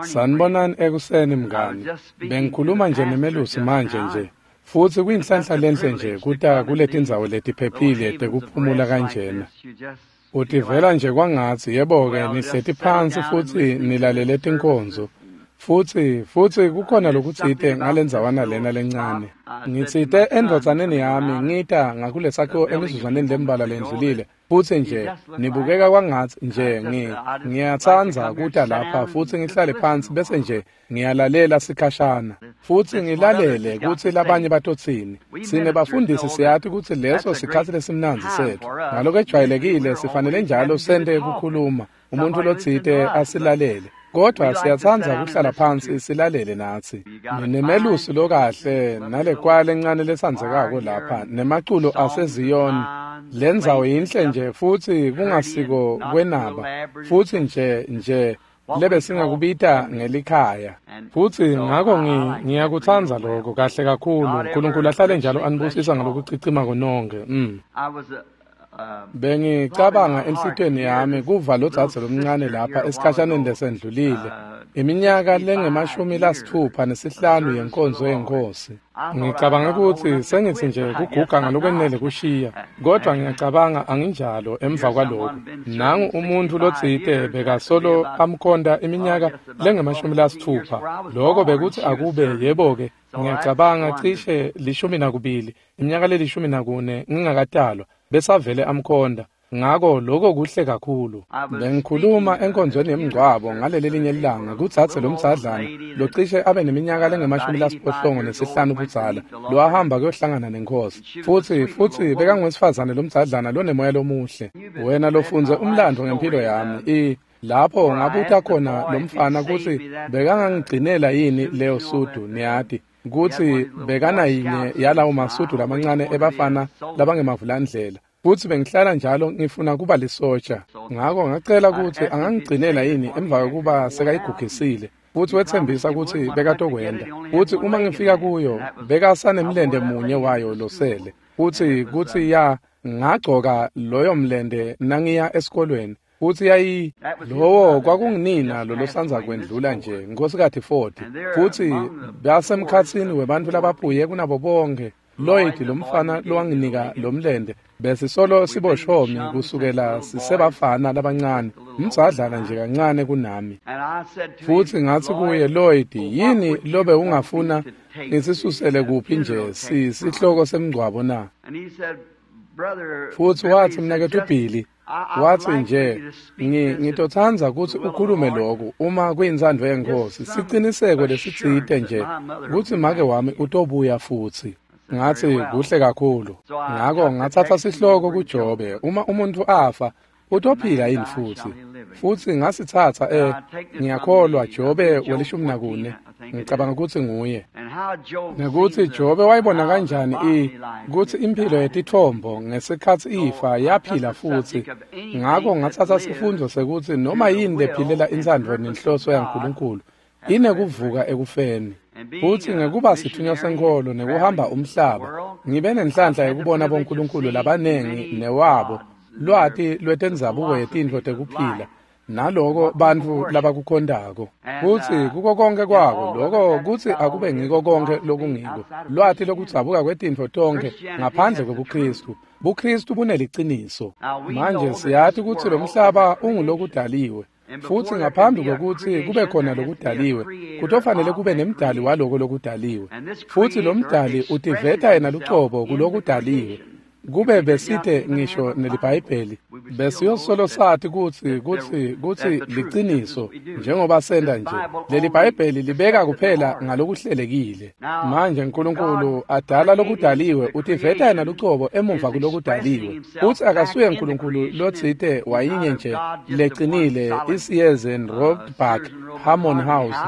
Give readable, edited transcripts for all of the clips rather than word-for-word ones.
Sanibonani ekuseni mngani. Bengikhuluma nje nemelusi manje nje. Futsi kuyinhlanhla lenhle nje kuta kuletindzawo letiphephile tekuphumula kanjena. Utivela nje kwangatsi yebo-ke nihleti phansi futsi nilalele tinkonzo. Futsi kukhona lokutsite ngalendzawana lena lencane. Ngitsite endvodzaneni yami ngita ngakulesakhiwo emizuzwaneni lembalwa lendlulile. Futsi nje nibukeka kwangatsi nje ngiyatsandza kuta lapha futsi ngihlale phansi bese nje ngiyalalela sikhashana. Futsi ngilalele kutsi labanye batotsini. Sine bafundisi siyati kutsi leso sikhatsi lesimnandzi setfu. Ngalokwejwayelekile sifanele njalo sente kukhuluma. Umuntu lotsite asilalele. Kodwa siyatsandza kuhlala phansi silalele natsi. Ninemelusi lokahle nalekwaya lencane lesandzekako lapha nemaculo aseZiyoni. Lendzawo yinhle nje futsi kungasiko kwenaba. Futsi nje lebesingakubita ngelikhaya. Futsi ngako ngiyakutsandza lokho kahle kakhulu. uNkulunkulu ahlale njalo anibusisa ngalokucicima kononke. Bengicabanga enhlitiyweni yami kuva lodzadze lomncane lapha esikhashaneni lesendlulile. Iminyaka lengama-65 yenkonzo yenkosi. Ngicabanga ukuthi sengithi nje kuguga ngalokwenele kushiya, kodwa ngiyacabanga anginjalo emva kwalokho. Nangu umuntu lotsite bekasolo amkhonda iminyaka lengama-60. Lokho bekuthi akube yebo-ke ngiyacabanga cishe 12, iminyaka le-14 ngingakatalwa. Besavele amkhonda. Ngako lokho kuhle kakhulu. Bengikhuluma enkonzweni yemngcwabo ngaleli linye ilanga kutsatse lomdzadlana locishe abe neminyaka lengama-85 budzala lowahamba kuyohlangana nenkosi. Futsi bekanguwesifazane lomdzadlana lonemoya lomuhle. Wena lofundze umlando ngempilo yami lapho ngabuta khona lomfana kutsi bekangangigcinela yini leyo sudu niyati. Kutsi bekana yinye yalawo masudu lamancane ebafana labangemavulandlela. Futsi bengihlala njalo ngifuna kuba lisotsha. Ngako ngacela kutsi angangigcinela yini emva kokuba sekayigugisile. Futsi wetsembisa kutsi bekatokwenda. Futsi uma ngifika kuyo bekasanemlende munye wayo losele. Futsi kutsi ya ngagcoka loyo mlende nangiya esikolweni. Futsi yayi lowo kwakunginina lolosanza kwendlula nje Nkosikazi 40. Futsi basemkhatsini webantfu labaphuye kunabo bonke. Lloyd lomfana lowanginika lomlende besisolo siboshomi kusukela sisebafana labancane umdzadlana nje kancane kunami. Futsi ngatsi kuye Lloyd yini lobe ungafuna ngisisusele kuphi nje sihloko semngcwabo na? Futsi watsi mnaketfu Billy watsi nje ngitotsandza kutsi ukhulume lokhu uma kuyintsandvo yenkosi siciniseko lesitsite nje kutsi make wami utobuya futsi. Ngatsi kuhle kakhulu. Ngako ngatsatsa sihloko kuJobe uma umuntu afa utophila yini futsi. Futsi ngasitsatsa ngiyakholwa Jobe we-14 ngicabanga kutsi nguye. Nekuthi Jobe wayibona kanjani kutsi impilo yetitfombo ngesikhatsi ifa yaphila futsi. Ngako ngatsatsa sifundo sekutsi noma yini lephilela intsandvo nenhloso yaNkulunkulu inekuvuka ekufeni. Futsi ngekuba sithunywa senkholo nekuhamba umhlaba ngibe nenhlanhla yekubona boNkulunkulu labanengi newabo lwati lwetendzabuko yetintfo tekuphila naloko bantfu labakukhondako. Futsi kuko konke kwako loko kutsi akube ngiko konke lokungiko lwati lokudzabuka kwetintfo tonkhe ngaphandle kwebuKristu. BuKristu buneliciniso. Manje siyati kutsi lomhlaba ungulokudaliwe. Futsi ngaphambi kokuthi kube khona lokudaliwe kutofanele kube nemdali waloko lokudaliwe. Futsi lo mdali utiveta yena lucobo kulokudaliwe. Kube besite ngisho neliBhayibheli besiyosolo sathi kutsi liciniso njengoba senda nje. Leli Bhayibheli libeka kuphela ngalokuhlelekile. Manje uNkulunkulu adala lokudaliwe utiveta yena lucobo emuva kulokudaliwe. Futsi akasuye uNkulunkulu lotsite wayinye nje lecinile iSears Roebuck Harmon House.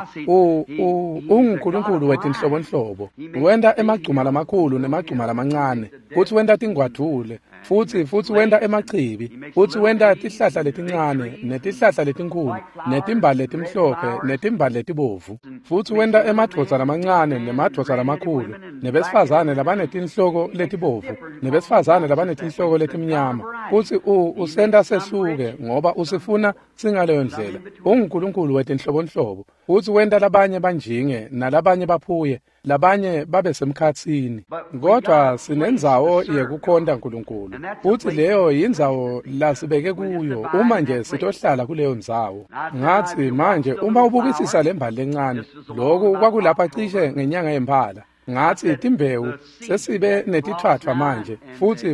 unguNkulunkulu wetinhlobonhlobo. Wenta emagcuma lamakhulu nemagcuma lamancane. Futsi wenta tingwadla emalugwadvule, futsi wenta emachibi, futsi wenta tihlahla letincane, netihlahla letinkhulu, netimbali letimhlophe, netimbali letibovu, futsi wenta emadvodza lamancane nemadvodza lamakhulu, nebesifazane labanetinhloko letibovu, nebesifazane labanetinhloko letimnyama, futsi usenta sehluke ngoba usifuna singaleyo ndlela. UnguNkulunkulu wetinhlobonhlobo, futsi wenta labanye banjinge nalabanye baphuye, labanye babe semkhatsini. Kodwa sinendzawo yekukhonta Nkulunkulu, futsi leyo yindzawo lasibeke kuyo uma nje sitohlala kuleyo ndzawo. Ngathi manje uma ubukisisa lembali lencane, lokhu kwakulapha cishe ngenyanga yemphala. Ngathi timbewu sesibe netitfwatfwa manje,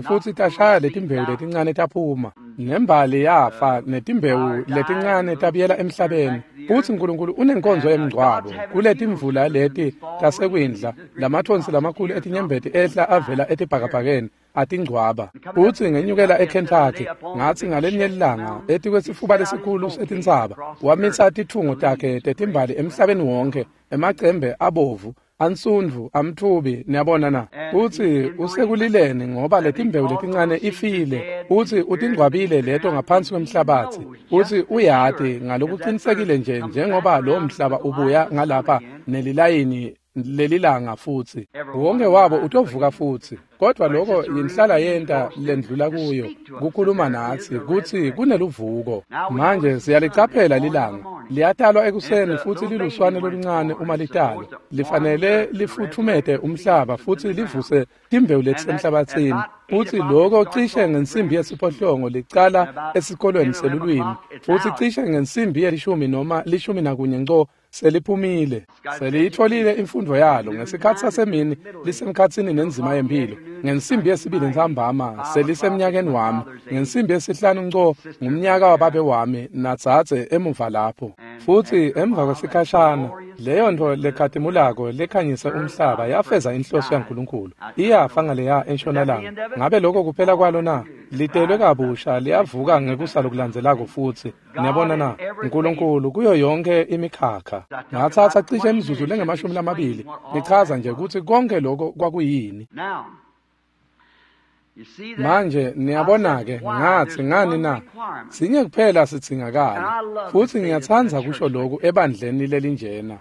futsi tashaya letimbewu letincane taphuma, nembali yafa, netimbewu letincane tabuyela emhlabeni. Futsi Nkulunkulu unenkonzo yemngcwabo kuletimvula leti tasekwindla, lamathonsi lamakhulu etinyembeti ehla avela etibhakabhakeni atingcwaba. Futsi ngenyukela eKentucky, ngathi ngalenye ilanga etikwesifuba lesikhulu setintsaba, wamisa tithungo takhe tetimbali emhlabeni wonke, emacembe abovu, ansundvu, amthubi, niyabona na. Futsi usekulileni ngoba letimbewu letincane ifile, futsi utingcwabile leto ngaphansi kwemhlabatsi. Futsi uyati ngalokuqinisekile nje njengoba lo mhlaba ubuya ngalapha nelilayini lelilanga, futsi wonke wabo utovuka futsi. Kodwa lokho yinhlala yenta lendlula kuyo kukhuluma natsi kutsi kuneluvuko. Manje siyalicaphela lilanga liyatalwa ekuseni, futsi liluswane loluncane uma litalwa lifanele lifuthumete umhlaba futsi livuse timbewu letisemhlabatsini. Futsi lokho cishe ngensimbi yesiphohlongo licala esikolweni selulwimi, futsi cishe ngensimbi yelishumi noma 11 nco seliphumile, seliyitfolile imfundo yalo. Ngesikhatsi sasemini lisemkhatsini nenzima yempilo. Ngensimbi yesibili ntsambama selisemnyakeni wami. Ngensimbi yesihlanu nco ngumnyaka wababe wami nadzadze emuva lapho. Futsi emva kwesikhashana leyo ntfo lekhatimulako lekhanyise umhlaba yafeza inhloso yaNkulunkulu. Iyafa ngaleya entshonalanga. Ngabe lokho kuphela kwalo na? Litelwe kabusha liyavuka ngekusa lokulandzelako futsi. Niyabona na? Nkulunkulu kuyo yonke imikhakha. Ngatsatsa cishe imizuzu lengamashumi ngichaza nje kutsi konke lokho kwakuyini. Manje niyabona-ke, ngathi ngani na? Sinye kuphela sidzingakala, futsi ngiyatsandza kusho lokhu ebandleni lelinjena.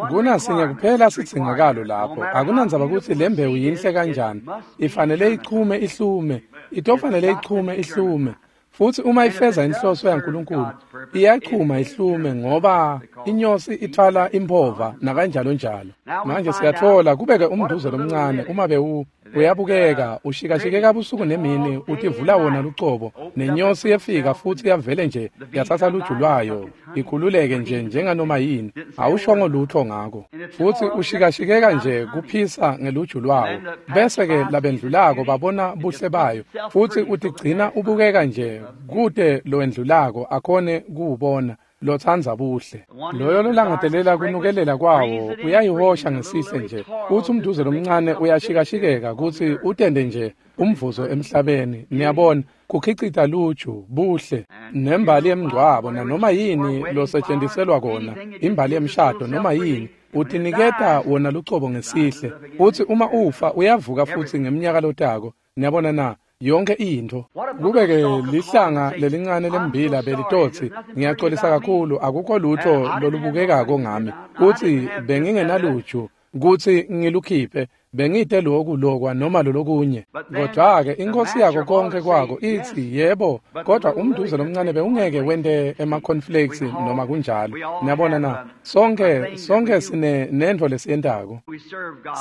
Kunasinye kuphela sidzingakalo lapho. Akunandzaba kutsi lembewu yinhle kanjani, ifanele ichume ihlume, itofanele ichume ihlume. Futsi uma ifeza inhloso yaNkulunkulu, iyachuma ihlume ngoba inyosi ithwala imphova nakanjalo njalo. Manje siyatfola kubeke umnduze lomncane uma bewu uyabukeka ushikashikeka busuku nemini, utivula wona lucobo, nenyosi yefika futsi yavele nje yatsatsa luju lwayo ikhululeke nje njenganoma yini, awushongo lutho ngako. Futsi ushikashikeka nje kuphisa ngeluju lwawo, bese-ke labendlulako babona buhle bayo, futsi utigcina ubukeka nje kute lowendlulako akhone kuwubona lotsandza buhle. Loyo lolangatelela kunukelela kwawo uyayihosha ngesihle nje. Utsi umduze lomncane uyashikashikeka kutsi utende nje umvuzo emhlabeni. Niyabona, kukhicita luju buhle nembali yemngcwabo nanoma yini losetshentiselwa kona, imbali yemshado noma yini, utiniketa wona lucobo ngesihle. Utsi uma ufa uyavuka futsi ngemnyaka lotako. Niyabona na? Yonke intfo. Kube-ke lihlanga lelincane lembila belitotsi, ngiyaxolisa kakhulu, akukho lutho lolubukekako ngami. Kutsi bengingenaluju kutsi ngilukhiphe, bengite lokhu lokwa noma lolokunye. Kodwa-ke inkosi yako konke kwako itsi yebo, kodwa umduze lomncane bewungeke wente ema-cornflakes noma kunjalo. Niyabona na? Sonke sine nentfo lesiyentako.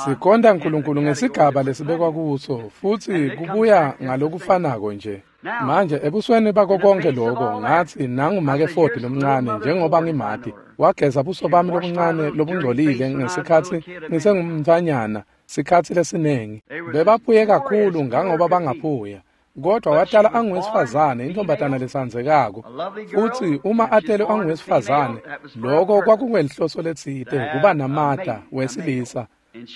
Sikhonta Nkulunkulu ngesigaba lesibekwa kuso, futsi kubuya ngalokufanako nje. Manje ebusweni bako konke lokho, ngathi nangumake Ford lomncane njengoba ngimati, wageza buso bami lobuncane lobungcolile ngesikhatsi ngisengumntfwanyana sikhatsi lesinengi. Bebaphuye kakhulu ngangoba bangaphuya, kodwa watala anguwesifazane, intombatana lesandzekako. Futsi uma atele anguwesifazane, lokho kwakungenhloso letsite kuba namata wesilisa.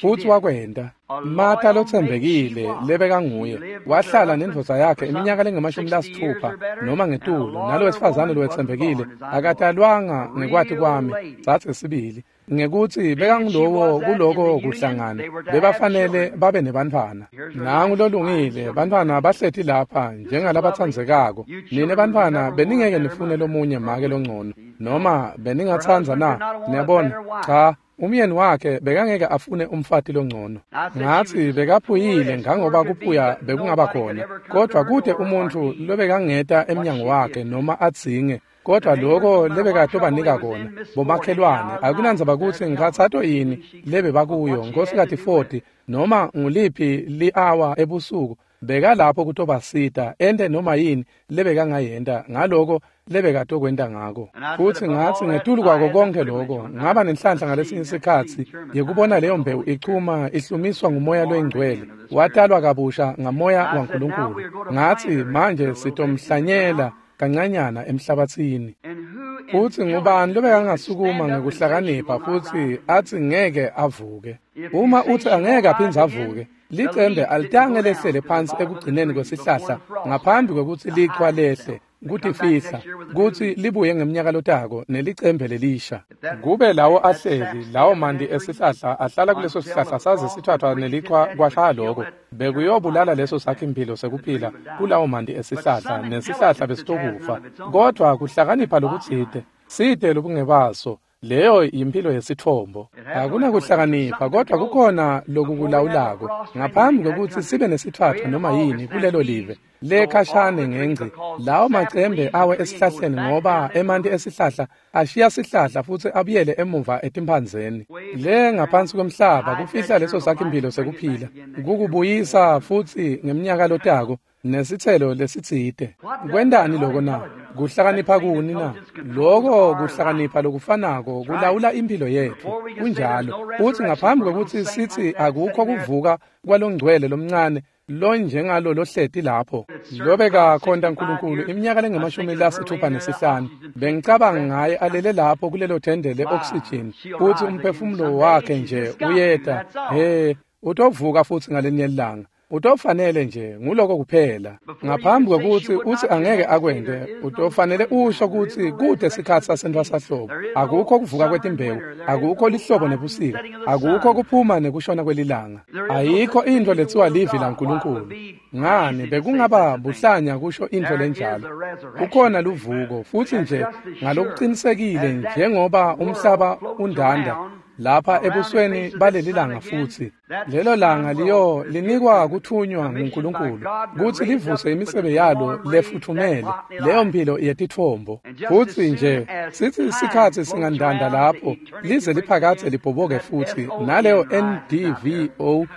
Futsi wakwenta. Mata lotsembekile lebekanguye wahlala nendvodza yakhe iminyaka lengamashumi-6 noma ngetulu, nalowesifazane lowetsembekile akatalwanga ngekwati kwami, dzadze sibili. Ngekutsi bekangulowo kuloko kuhlangana, bebafanele babe nebantfwana. Nangu lolungile, bantfwana bahleti lapha njengalabatsandzekako. Nine bantfwana beningeke nifune lomunye make longcono, noma beningatsandza na? Niyabona? Cha. Umyeni wakhe bekangeke afune umfati longcono. Ngatsi bekaphuyile ngangoba kuphuya bekungaba khona, kodwa kute umuntfu lobekangeta emnyango wakhe noma adzinge, kodwa loko lebekatobanika kona bomakhelwane. Akunandzaba kutsi ngikhatsato yini lebebakuyo, Nkhosikati 40 noma nguliphi li-awa ebusuku, bekalapho kutobasita ente noma yini lebekangayenta ngaloko lebekatokwenta ngako. Futsi ngatsi ngetulu kwako konke loko, ngaba nenhlanhla ngalesinye sikhatsi yekubona leyo mbewu ichuma ihlumiswa ngumoya loyingcwele, watalwa kabusha ngamoya waNkulunkulu. Ngatsi manje sitomhlanyela kancanyana emhlabatsini. Futsi ngubani lobekangasukuma ngekuhlakanipha futsi atsi ngeke avuke? Uma utsi angeke aphindze avuke, licembe alitange lehlele phansi ekugcineni kwesihlahla ngaphambi kwekutsi lichwa lehle kutifihla, kutsi libuye ngemnyaka lotako nelicembe lelisha. Kube lawo ahleli, lawo manti esihlahla ahlala kuleso sihlahla saze sithathwa nelichwa kwashaya loko, bekuyobulala leso sakhi-mphilo sekuphila kulawo manti esihlahla, nesihlahla besitokufa. Kodwa kuhlakanipha lokutsite, site lobungebaso, leyo yimphilo yesitfombo. Akunakuhlakanipha, kodwa kukhona lokukulawulako. Ngaphambi kwekutsi sibe nesitfwatfwa noma yini kulelo live lekhashane ngengci, lawo macembe awe esihlahleni ngoba emanti esihlahla ashiya sihlahla futsi abuyele emuva etimphandzeni. Le ngaphansi kwemhlaba kufihla leso sakhi-mphilo sekuphila, kukubuyisa futsi ngemnyaka lotako nesitselo lesitsite. Kwentani loko na? Kuhlakanipha kuni na? Loko kuhlakanipha lokufanako kulawula impilo yetfu. Kunjalo. Futsi ngaphambi kwekutsi sitsi akukho kuvuka kwalongcwele lomncane lonjengalo lohleti lapho, lobekakhonta Nkulunkulu iminyaka lengamashumi-65, bengicabanga ngaye alele lapho kulelo thende le-oxygen, futsi umphefumulo wakhe nje uyeta. He, utovuka futsi ngalenye ilanga. Utofanele nje, nguloko kuphela. Ngaphambi kwekutsi utsi angeke akwente, utofanele usho kutsi kute sikhatsi sasentfwasahlobo, akukho kuvuka kwetimbewu, akukho lihlobo nebusika, akukho kuphuma nekushona kwelilanga, ayikho intfo letsiwa livi laNkulunkulu. Ngani, bekungaba buhlanya kusho intfo lenjalo. Kukhona luvuko, futsi nje ngalokucinisekile njengoba umhlaba undanda lapha ebusweni baleli langa, futsi lelo langa liyo linikwa kuthunywa nguNkulunkulu kutsi livuse imisebe yalo lefuthumele, leyo mphilo yetitfombo. Futsi nje sitsi sikhatsi singandanda lapho lize liphakadze libhoboke futsi, naleyo NDVODZANA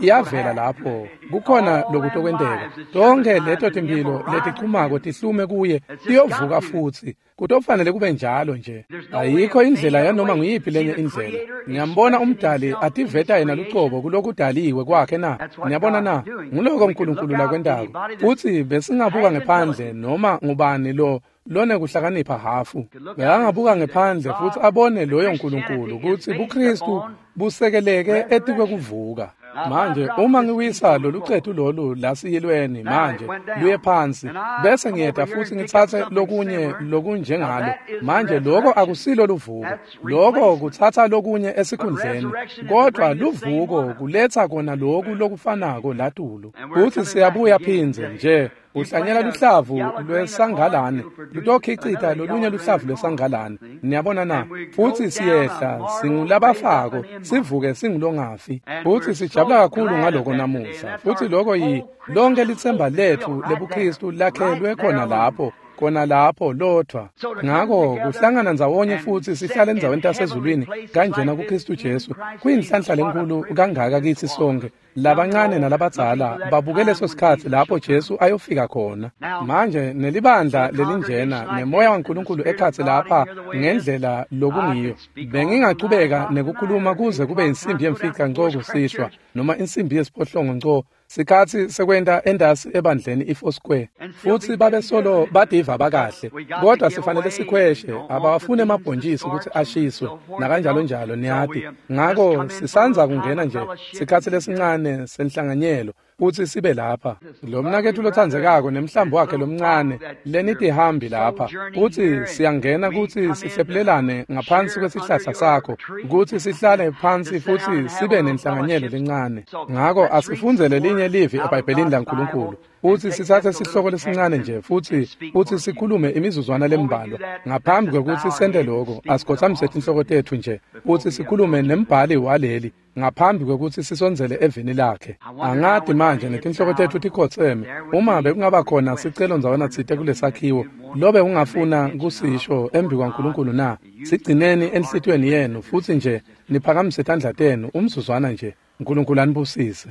iyavela lapho. Kukhona lokutokwenteka. Tonke leto timphilo letichumako tihlume kuye tiyovuka futsi. Kutofanele kube njalo nje. Ayikho indlela yanoma nguyiphi lenye indlela. Ngiyambona umdali ativeta yena lucobo kulokudaliwe kwakhe na. Niyabona na? Nguloko uNkulunkulu lakwentako. Futsi besingabuka ngephandle noma ngubani lo lonekuhlakanipha hafu. Bekangabuka ngephandle futsi abone loyo Nkulunkulu kutsi buKristu busekeleke etikwekuvuka. Manje uma ngiwisa lolucetu lolu lasiyilweni manje luye phansi, bese ngiyeta futsi ngitsatse lokunye lokunjengalo. Manje loko akusilo luvuko, loko kutsatsa lokunye esikhundleni, kodwa luvuko kuletsa kona loku lokufanako latulu. Futsi siyabuya phindze nje uhlanyela luhlavu lwesangalane lutokhicita lolunye luhlavu lwesangalane. Niyabona na? Futsi siyehla singulabafako, sivuke singulongafi. Futsi sijabula kakhulu ngaloko namuhla. Futsi loko yi lonke litsemba letfu lebuKristu lakhelwe khona lapho, khona lapho lodvwa. Ngako kuhlangana ndzawonye futsi sihlale endzaweni tasezulwini kanjena kuKristu Jesu kuyinhlanhla lenkulu kangaka kitsi sonke, labancane nalabadzala, babuke leso sikhatsi lapho Jesu ayofika khona. Manje nelibandla lelinjena nemoya waNkulunkulu ekhatsi lapha ngendlela lokungiyo, bengingachubeka nekukhuluma kuze kube insimbi yemfica nco kusihlwa noma insimbi yesiphohlongo nco, sikhatsi sekwenta endasi ebandleni iFoursquare. Futsi babesolo badiva bakahle, kodwa sifanele sikhweshe, abawafuni emabhontjisi kutsi ashiswe nakanjalo njalo, niyati. Ngako sisanza kungena nje sikhatsi lesincane senhlanganyelo futsi sibe lapha. Lo mnaketfu lotsandzekako nemhlambi wakhe lomncane lenitihambi lapha, futsi siyangena kutsi sihlephulelane ngaphansi kwesihlahla sakho, kutsi sihlale phansi futsi sibe nenhlanganyelo lencane. Ngako asifundze lelinye livi eBhayibhelini laNkulunkulu, futsi sitsatse sihloko lesincane nje futsi sikhulume imizuzwana lembalwa. Ngaphambi kwekutsi sente loko, asikhotsamise tinhloko tetfu nje futsi sikhulume nembhali waleli ngaphambi kwekutsi sisondzele evini lakhe. Angati manje netinhloko tetfu tikhotseme, uma bekungaba khona sicelo ndzawana tsite kulesakhiwo lobe ungafuna kusisho embi kwaNkulunkulu na, sigcineni enhlitiyweni yenu futsi nje niphakamise tandla tenu umzuzwana nje. Nkulunkulu anibusise.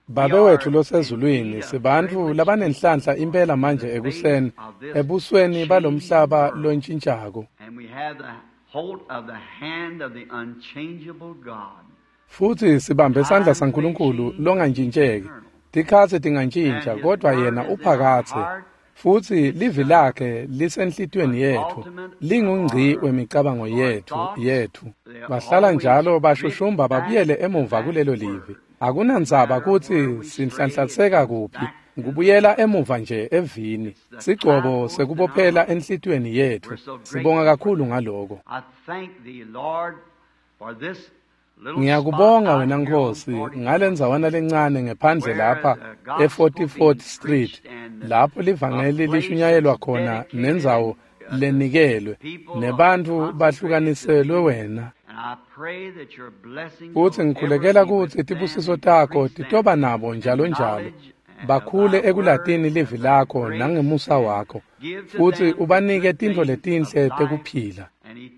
Babe wetfu losezulwini, sibantfu labanenhlanhla impela manje ekuseni ebusweni balomhlaba lontshintshako. Futsi sibambe sandla saNkulunkulu longantshintsheki. Tikhatsi tingantshintsha, kodwa yena uphakatse. Futsi livi lakhe lisenhlitiyweni yetfu, lingungci wemicabango yetfu. Bahlala njalo bashushumba babuyele emuva kulelo livi. Akunandzaba kutsi sinhlanhlatseka kuphi, kubuyela emuva nje evini. Sigcobo sekubophela enhlitiyweni yetfu. Sibonga kakhulu ngaloko. Ngiyakubonga wena Nkosi ngalendzawana lencane ngephandle lapha e-44th Street, lapho livangeli lishunyayelwa khona nendzawo lenikelwe nebantfu bahlukaniselwe wena. Futsi ngikhulekela kutsi tibusiso takho titoba nabo njalo njalo, bakhule ekulatini livi lakho nangemusa wakho, futsi ubanike tintfo letinhle tekuphila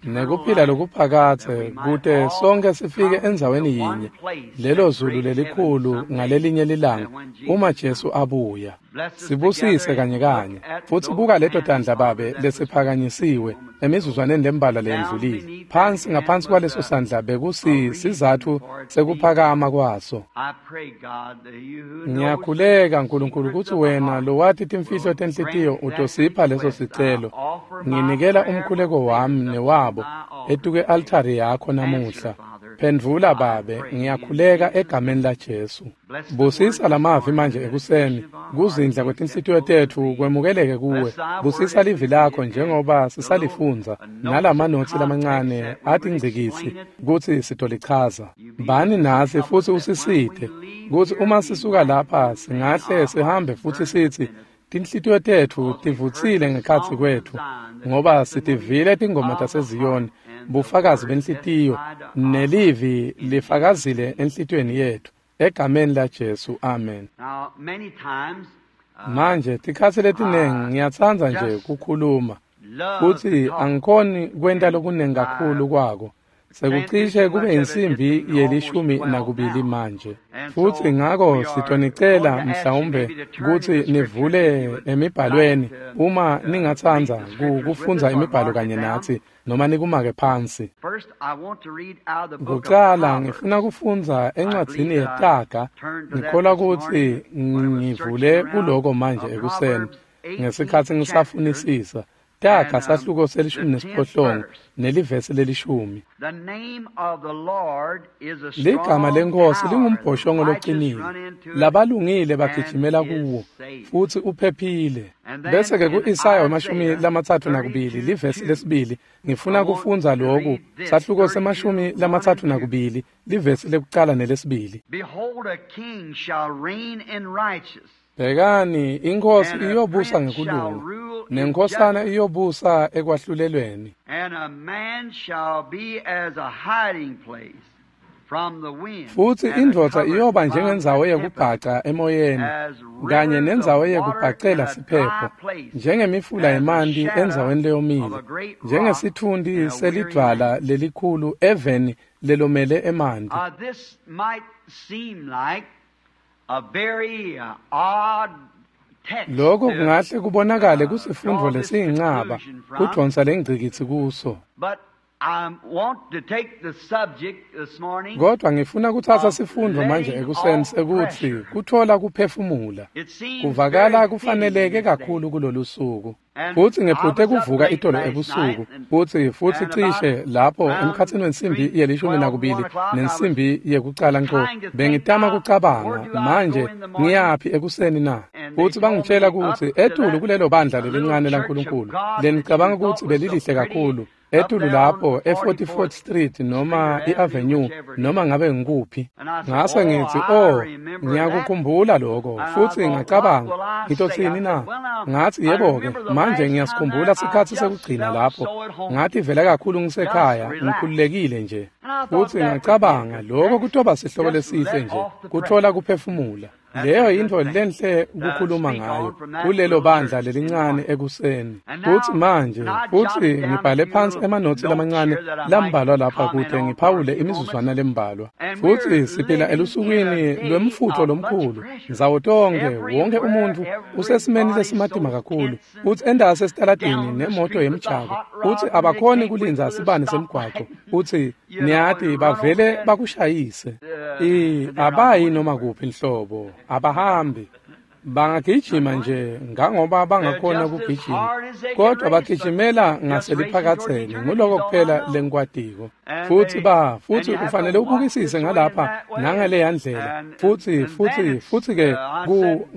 nekuphila lokuphakatse, kute sonke sifike endzaweni yinye, lelo zulu lelikhulu ngalelinye lilanga uma Jesu abuya. Sibusise kanye kanye, futsi buka leto tandla Babe lesiphakanyisiwe emizuzwaneni lembalwa leyendlulile. Phansi ngaphansi kwaleso sandla bekusisizatfu sekuphakama kwaso. Ngiyakhuleka Nkulunkulu kutsi wena lowati timfihlo tenhlitiyo utosipha leso sicelo. Nginikela umkhuleko wami newabo etuke altari yakho namuhla. Phendvula Babe, ngiyakhuleka egameni la Jesu. Busisa lamavi manje ekuseni, kuzindla kwetinhlitiyo tetfu kwemukeleke kuwe. Busisa livi lakho njengoba sisalifundza, nalamanotsi lamancane atingcikitsi kutsi sitolichaza. Bani nasi futsi usisite, kutsi uma sisuka lapha singahle sihambe futsi sitsi, tinhlitiyo tetfu tivutsile ngekhatsi kwetfu, ngoba sitivile tingoma taseZiyoni, bufakazi benhlitiyo, nelivi lifakazile enhlitiyweni yetfu. Egameni la Jesu, amen. Manje tikhatsi letinengi ngiyatsandza nje kukhuluma, futsi angikhoni kwenta lokunengi kakhulu kwako. Sekucishe kube insimbi ye-12 manje. Futsi ngako sitonicela mhlawumbe kutsi nivule emibhalweni uma ningatsandza kufundza imibhalo kanye natsi, noma nikumake phansi. Kucala ngifuna kufundza encwadzini yeTaga. Ngikholwa kutsi ngivule kuloko manje ekuseni ngesikhatsi ngisafunisisa. Taga sahluko se-18 nelivesi le-10. Ligama leNkosi lingumbhoshongo loqinile, labalungile bagijimela kuwo futsi uphephile. Bese-ke ku-Isaya 32 livesi 2 ngifuna kufundza loku, sahluko se-32 livesi lekucala nelesibili. Bhekani, inkosi iyobusa ngekulunga, nenkosana iyobusa ekwahlulelweni. Futsi indvodza iyoba njengendzawo yekubhaca emoyeni, kanye nendzawo yekubhacela siphepho, njengemifula yemanti endzaweni leyomile, njengesitfunti selidvwala lelikhulu eveni lelomele emanti. Lokho kungahle kubonakale kusifundvo lesiyincaba kudonsa lengcikitsi kuso. Kodwa ngifuna kutsatsa sifundvo manje ekuseni sekutsi kutfola kuphefumula. Kuvakala kufaneleke kakhulu kulolu suku. Futsi ngephute kuvuka itolo ebusuku, futsi cishe lapho emkhatsini wensimbi ye-12 nensimbi yekucala nco, bengitama kucabanga, manje ngiyaphi ekuseni na? Futsi bangitshela kutsi etulu kulelo bandla lelincane laNkulunkulu, lenicabanga kutsi belilihle kakhulu, etulu lapho e-44th Street noma i-Avenue noma ngabe ngikuphi. Ngase ngithi, oh, ngiyakukhumbula lokho, futsi ngacabanga, ngitotsini na? Ngathi, yebo-ke, manje ngiyasikhumbula sikhatsi sekugcina lapho. Ngathi vela kakhulu ngisekhaya, ngikhululekile nje. Futsi ngacabanga, lokho kutoba sihloko lesihle nje, kutfola kuphefumula. Leyo yintfo lenhle kukhuluma ngayo kulelo bandla lelincane ekuseni. Futsi manje, futsi ngibhale phansi emanotsi lamancane lambalwa lapha kute ngiphawule imizuzwana lembalwa. Futsi siphila elusukwini lwemfutho lomkhulu. Ndzawo tonkhe, wonke umuntfu usesimeni lesimatima kakhulu. Futsi endase esitaladini nemoto yemjako. Futsi abakhoni kulindza sibane semgwaco. Futsi niyati bavele bakushayise. Abayi noma kuphi nhlobo. Abahambi, bangagijima nje ngangoba bangakhona kugijima, kodwa bagijimela ngaseliphakatseni, nguloko kuphela lengikwatiko. Futsi ufanele ubukisise ngalapha nangaleya ndlela. Futsi-ke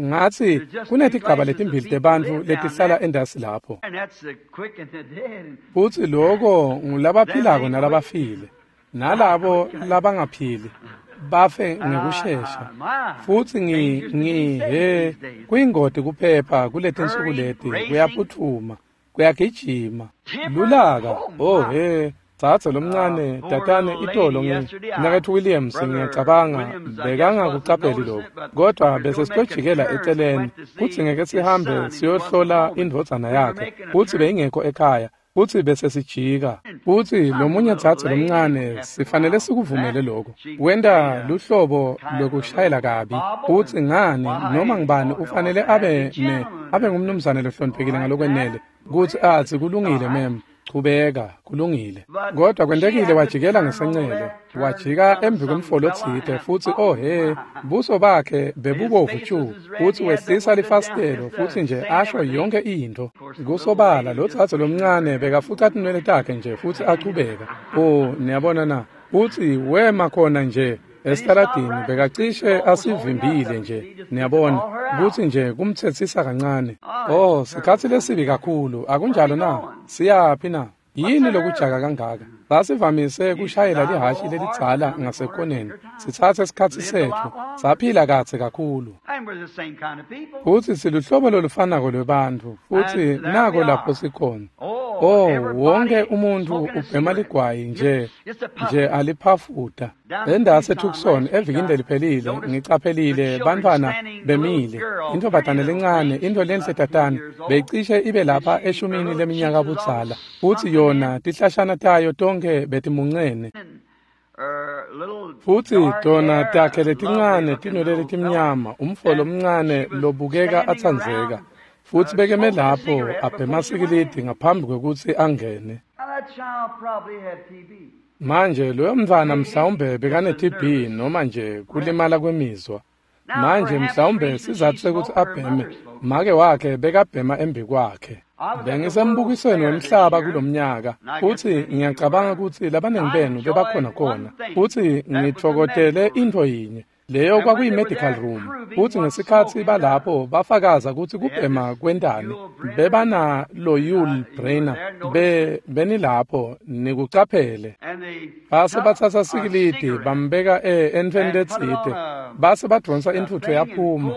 ngatsi kunetigaba letimbili tebantfu letihlala endasi lapho. Futsi loko ngulabaphilako nalabafile, nalabo labangaphili bafe ngekushesha. Futsi kuyingoti kuphepha kuletinsuku leti, kuyaphutfuma, kuyagijima. Lulaka, oh he, tsatsa lomncane tatane itolo Mnaketfu Williams, ngiyacabanga bekangakucapheli lokho, kodwa bese sitojikela eceleni kudzingeke sihambe siyohlola indvodzana yakhe, futsi beyingekho ekhaya. Futsi bese sijika. Futsi lomunye tsatsa lomncane, sifanele sikuvumele lokho, wenta luhlobo lokushayela kabi. Futsi ngani noma ngibani ufanele abe ngumnumzane lohloniphekile ngalokwenele kutsi atsi kulungile mem, chubeka, kulungile. Kodwa kwentekile wajikela ngesencele, wajika embi kwemfolo otsite, futsi oh he, buso bakhe bebubovu tju, futsi wehlisa lifasitelo futsi nje asho yonke intfo. Kusobala lo tsatsa lomncane bekafuca tinwele takhe nje futsi achubeka. Oh, niyabona na? Futsi wema khona nje esitaladini, bekacishe asivimbile nje, niyabona, kutsi nje kumtsetsisa kancane. Oh, sikhatsi lesibi kakhulu, akunjalo na? Siyaphi na? Yini lokujaka kangaka? Sasivamise kushayela lihhashi lelidzala ngasekoneni, sitsatse sikhatsi setfu, saphila kadze kakhulu. Futsi siluhlobo lolufanako lwebantfu, futsi nako lapho sikhona. Oh, wonke umuntfu ubhema ligwayi nje aliphafuta. Endase Tucson evikini leliphelile, ngicaphelile bantfwana bemile, intfombatane lencane, intfo lenhle tatane, beyicishe ibe lapha eshumini leminyaka budzala, futsi yona tihlashana tayo tonkhe betimuncene. Futsi tona takhe letincane tinwele letimnyama, umfo lomncane lobukeka atsandzeka. Futsi bekeme lapho abhema sikilidi ngaphambi kwekutsi angene. Manje loyo mntfwana mhlawumbe bekane-TB noma nje kulimala kwemizwa. Manje mhlawumbe sizatfu sekutsi abheme, make wakhe bekabhema embi kwakhe. Bengisembukisweni wemhlaba kulomnyaka, futsi ngiyacabanga kutsi labanengi benu bebakhona khona. Futsi ngitfokotele intfo yinye, leyo kwakuyi-medical room. Futsi ngesikhatsi balapho bafakaza kutsi kubhema kwentani, bebana lo Yul Brynner, benilapho nikucaphele. Base batsatsa sikilidi bambeka entfweni letsite, base badvonsa intfutfu yaphuma,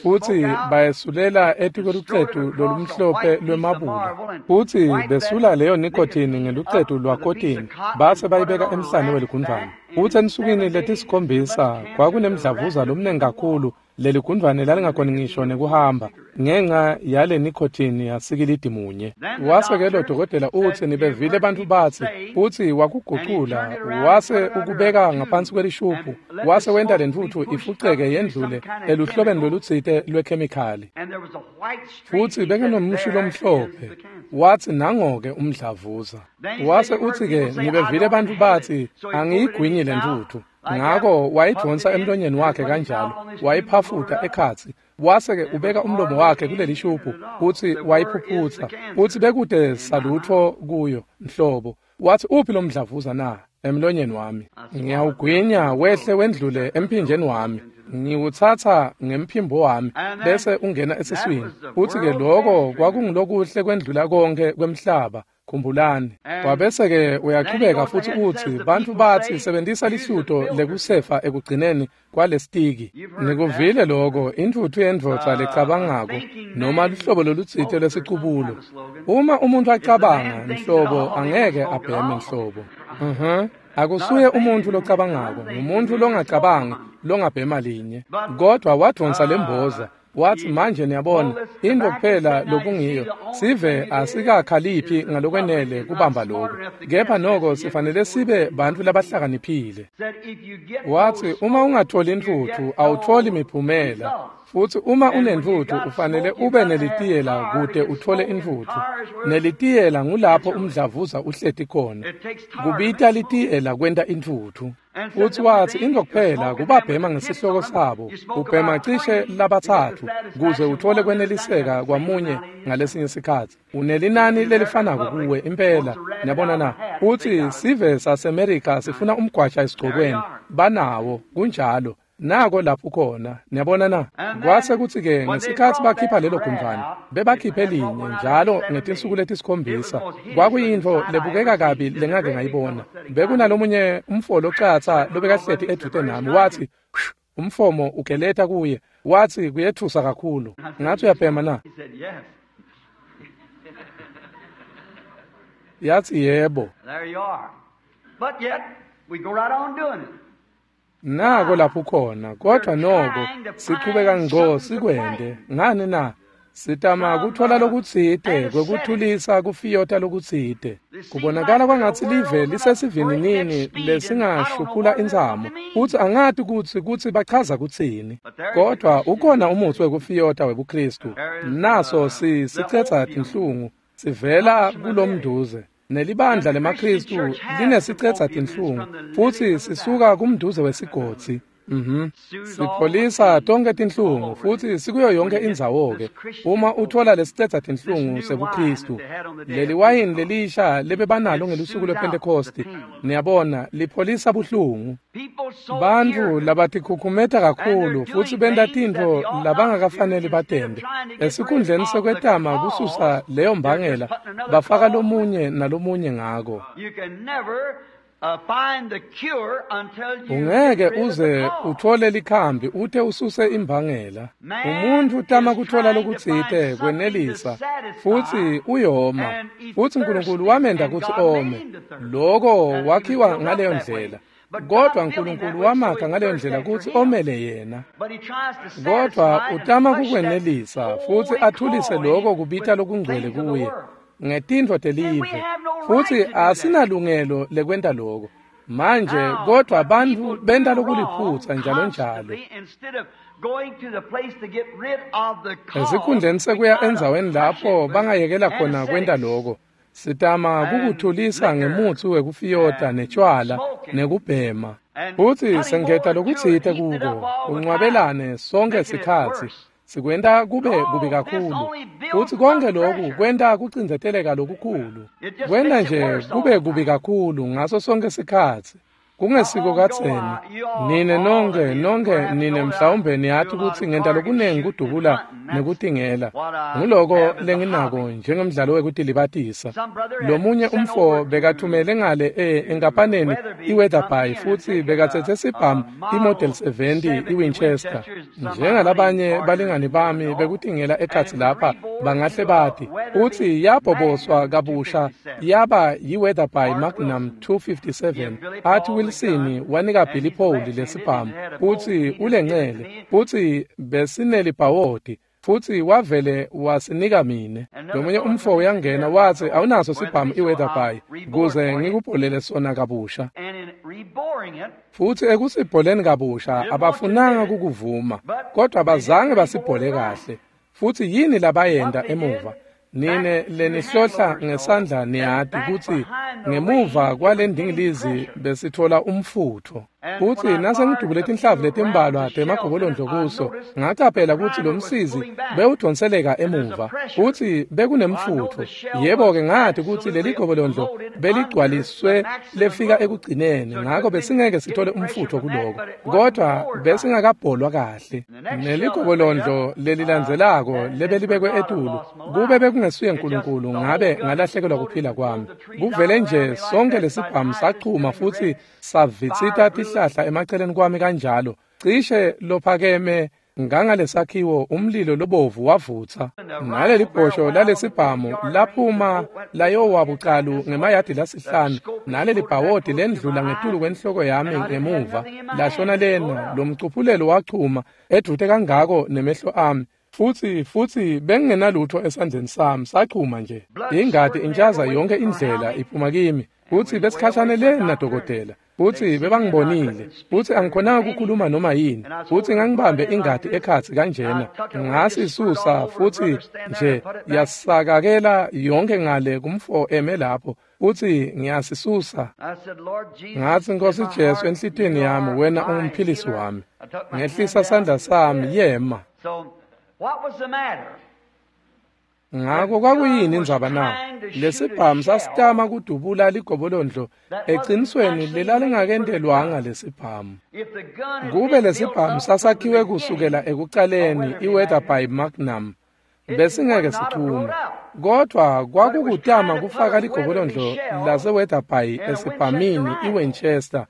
futsi bayesulela etikwelucetu lolumhlophe lwemabula. Futsi besula leyo nikotini ngelucetu lwakotini, base bayibeka emhlane weligundvwane. Futsi ensukwini letisikhombisa kwakunemdlavuza lomnengi kakhulu, leligundvwane lalingakhoni ngisho nekuhamba ngenxa yale nikotini yasikilidi munye. Wase-ke lo dokotela utsi nibevile bantfu batsi, utsi wakugucula, wase ukubeka ngaphansi kwelishubhu, wase wenta lentfutfu ifuceke yendlule eluhlobeni lolutsite lwekhemikhali. Futsi bekunomushi lomhlophe. Watsi nango-ke umdlavuza. Wase utsi-ke ngibevile bantfu batsi angiyigwinyi lentfutfu. Ngako wayidvonsa emlonyeni wakhe kanjalo, wayiphafuta ekhatsi. Wase-ke ubeka umlomo wakhe kuleli shubhu, utsi wayiphuphutsa, utsi bekute salutfo kuyo nhlobo. Watsi uphi lo mdlavuza na? Emlonyeni wami. Ngiyawugwinya wehle wendlule emphinjeni wami. Ngiwutsatsa ngemphimbo wami bese ungena esiswini. Utsi-ke loko kwakungulokuhle kwendlula konke kwemhlaba. Khumbulani. Wabese-ke uyachubeka futsi utsi bantfu batsi sebentisa lisuto lekusefa ekugcineni kwalesitiki. Nikuvile loko, intfutfu yendvodza lecabangako noma luhlobo lolutsite lwesicubulo. Uma umuntfu acabanga nhlobo angeke abheme nhlobo. Akusuye umuntfu locabangako, ngumuntu longacabangi longabhema linye. Kodwa wadvonsa lemboza. Watsi manje niyabona into kuphela lokungiyo sive asikakhaliphi ngalokwenele kubamba lokhu, kepha noko sifanele sibe bantfu labahlakaniphile. Watsi uma ungatholi intfutfu awutholi miphumela, futsi uma unentfutfu ufanele ube nelitiyela kute uthole intfutfu. Nelitiyela ngulapho umdlavuza uhleti khona. Kubita litiyela kwenta intfutfu. Futsi watsi intfo kuphela kubabhema ngesihloko sabo, ubhema cishe labatsatfu kuze uthole kweneliseka kwamunye ngalesinye sikhatsi. Unelinani lelifanako kuwe impela. Niyabona na? Utsi sive saseMerika sifuna umgwaja esigcokweni, banawo kunjalo. Nako lapho khona, niyabona na? Kwase kutsi-ke ngesikhatsi bakhipha lelo gundvwane, bebakhiphe linye njalo ngetinsuku letisikhombisa. Kwakuyintfo lebukeka kabi lengake ngayibona. Bekunalomunye umfo locatsa lobekahleti edvute nami, wathi umfomo ugeleta kuye. Watsi kuyethusa kakhulu. Ngathi uyabhema na? Yathi yebo. Nako lapho khona, kodwa noko sichubeka ngco sikwente. Ngani na? Sitama kuthola lokutsite kwekuthulisa kufiyota lokutsite. Kubonakala kwangatsi live lisesivininini lesingashuphula intsamo. Utsi angati kutsi bachaza kutsini. Kodwa ukhona umutsi wekufiyota webuKristu. Naso sicetsa tinhlungu sivela kulomnduze. Nelibandla lemaKristu linesicetsa tinhlungu futsi sisuka kumnduze wesigodzi. Sipholisa tonke tinhlungu futsi sikuyo yonke indzawo-ke. Uma uthola lesicetsa tinhlungu sebuKristu, leli wayini lelisha lebebanalo ngelusuku lwePhentekhosti, niyabona, lipholisa buhlungu. Bantfu labatikhukhumeta kakhulu futsi benta tintfo labangakafaneli batente. Esikhundleni sekwetama kususa leyo mbangela, bafaka lomunye nalomunye ngako. Ungeke uze uthole likhambi ute ususe imbangela. Umuntfu utama kuthola lokutsite kwenelisa futsi uyoma, futsi Nkulunkulu wamenta kutsi ome. Loko wakhiwa ngaleyo ndlela. Kodwa Nkulunkulu wamakha ngaleyo ndlela kutsi omele yena. Kodwa utama kukwenelisa futsi athulise loko kubita lokungcwele kuye ngetintfo telive, futsi asinalungelo lekwenta loko manje. Kodwa bantfu benta lokuliphutsa njalo njalo. Esikhundleni sekuya endzaweni lapho bangayekela khona kwenta loko, sitama kukuthulisa ngemutsi wekufiyota netshwala nekubhema, futsi sengeta lokutsite kuko uncwabelane sonke sikhatsi. Sikwenta kube kubi kakhulu, futsi konke loku kwenta kucindzeteleka lokukhulu. Kwenta nje kube kubi kakhulu ngaso sonke sikhatsi. Kungesiko kadzeni. Nine nonke nine mhlawumbe niyati kutsi ngenta lokunengi kudubula nekutingela. Nguloko lenginako njengemdlalo wekutilibatisa. Lomunye umfo bekathumele ngale enkampaneni iWeatherby futsi bekatsetse sibhamu iModel 70 iWinchester. Njengalabanye balingani bami bekutingela ekhatsi lapha bangahle bati. Utsi yabhoboswa kabusha yaba yiWeatherby Magnum 257. Athi Wilson wanika Billy Paul lesibhamu, utsi ulencele, utsi besinelibhawodi, futsi wavele wasinika mine. Lomunye umfo uyangena watsi awunaso sibhamu iWeatherby kuze ngikubholele sona kabusha. Futsi ekusibholeni kabusha abafunanga kukuvuma, kodwa bazange basibhole kahle. Futsi yini labayenta emuva? Nine lenihlohla ngesandla niyati kutsi ngemuva kwalendingilizi besithola umfutfo. Futsi nasengidubule tinhlavu letimbalwa temagobolondlo kuso, ngacaphela kutsi lo msizi bewudonseleka emuva, futsi bekunemfutfo. Yebo-ke ngati kutsi leli gobolondlo beligcwaliswe lefika ekugcineni, ngako besingeke sithole umfutfo kuloko, kodvwa besingakabholwa kahle. Neligobolondlo lelilandzelako lebelibekwe etulu, kube bekungesuye Nkulunkulu ngabe ngalahlekelwa kuphila kwami. Kuvele nje sonke lesibhamu sachuma futsi savitsita tihlahla emaceleni kwami kanjalo, cishe lophakeme ngangalesakhiwo umlilo lobovu wavutsa. Naleli bhosho lalesibhamu laphuma layowa bucalu ngemayadi lasihlanu, naleli bhawodi lendlula ngetulu kwenhloko yami ngemuva, lashona lena, lo mcuphulelo wachuma edvute kangako nemehlo ami. Futsi bengingenalutho esandleni sami, sachuma nje. Ingati intshaza yonke indlela iphuma kimi, futsi besikhashane lena dokotela. Futsi bebangibonile, futsi angikhonanga ukukhuluma noma yini, futsi ngangibambe ingati ekhatsi kanjena, ngasisusa futsi nje yasakakela yonke ngale kumfo eme lapho, futsi ngiyasisusa. Ngatsi, Nkosi Jesu, enhlitiyweni yami wena ungumphilisi wami. Ngehlisa sandla sami, yema. Ngako kwakuyini indzaba na? Lesibhamu sasitama kudubula ligobolondlo ecinisweni lelalingakentelwanga lesibhamu. Kube lesibhamu sasakhiwe kusukela ekucaleni iWeatherby Magnum, besingeke sichume. Kodvwa kwakukutama kufaka ligobolondlo laseWeatherby esibhamini iWinchester,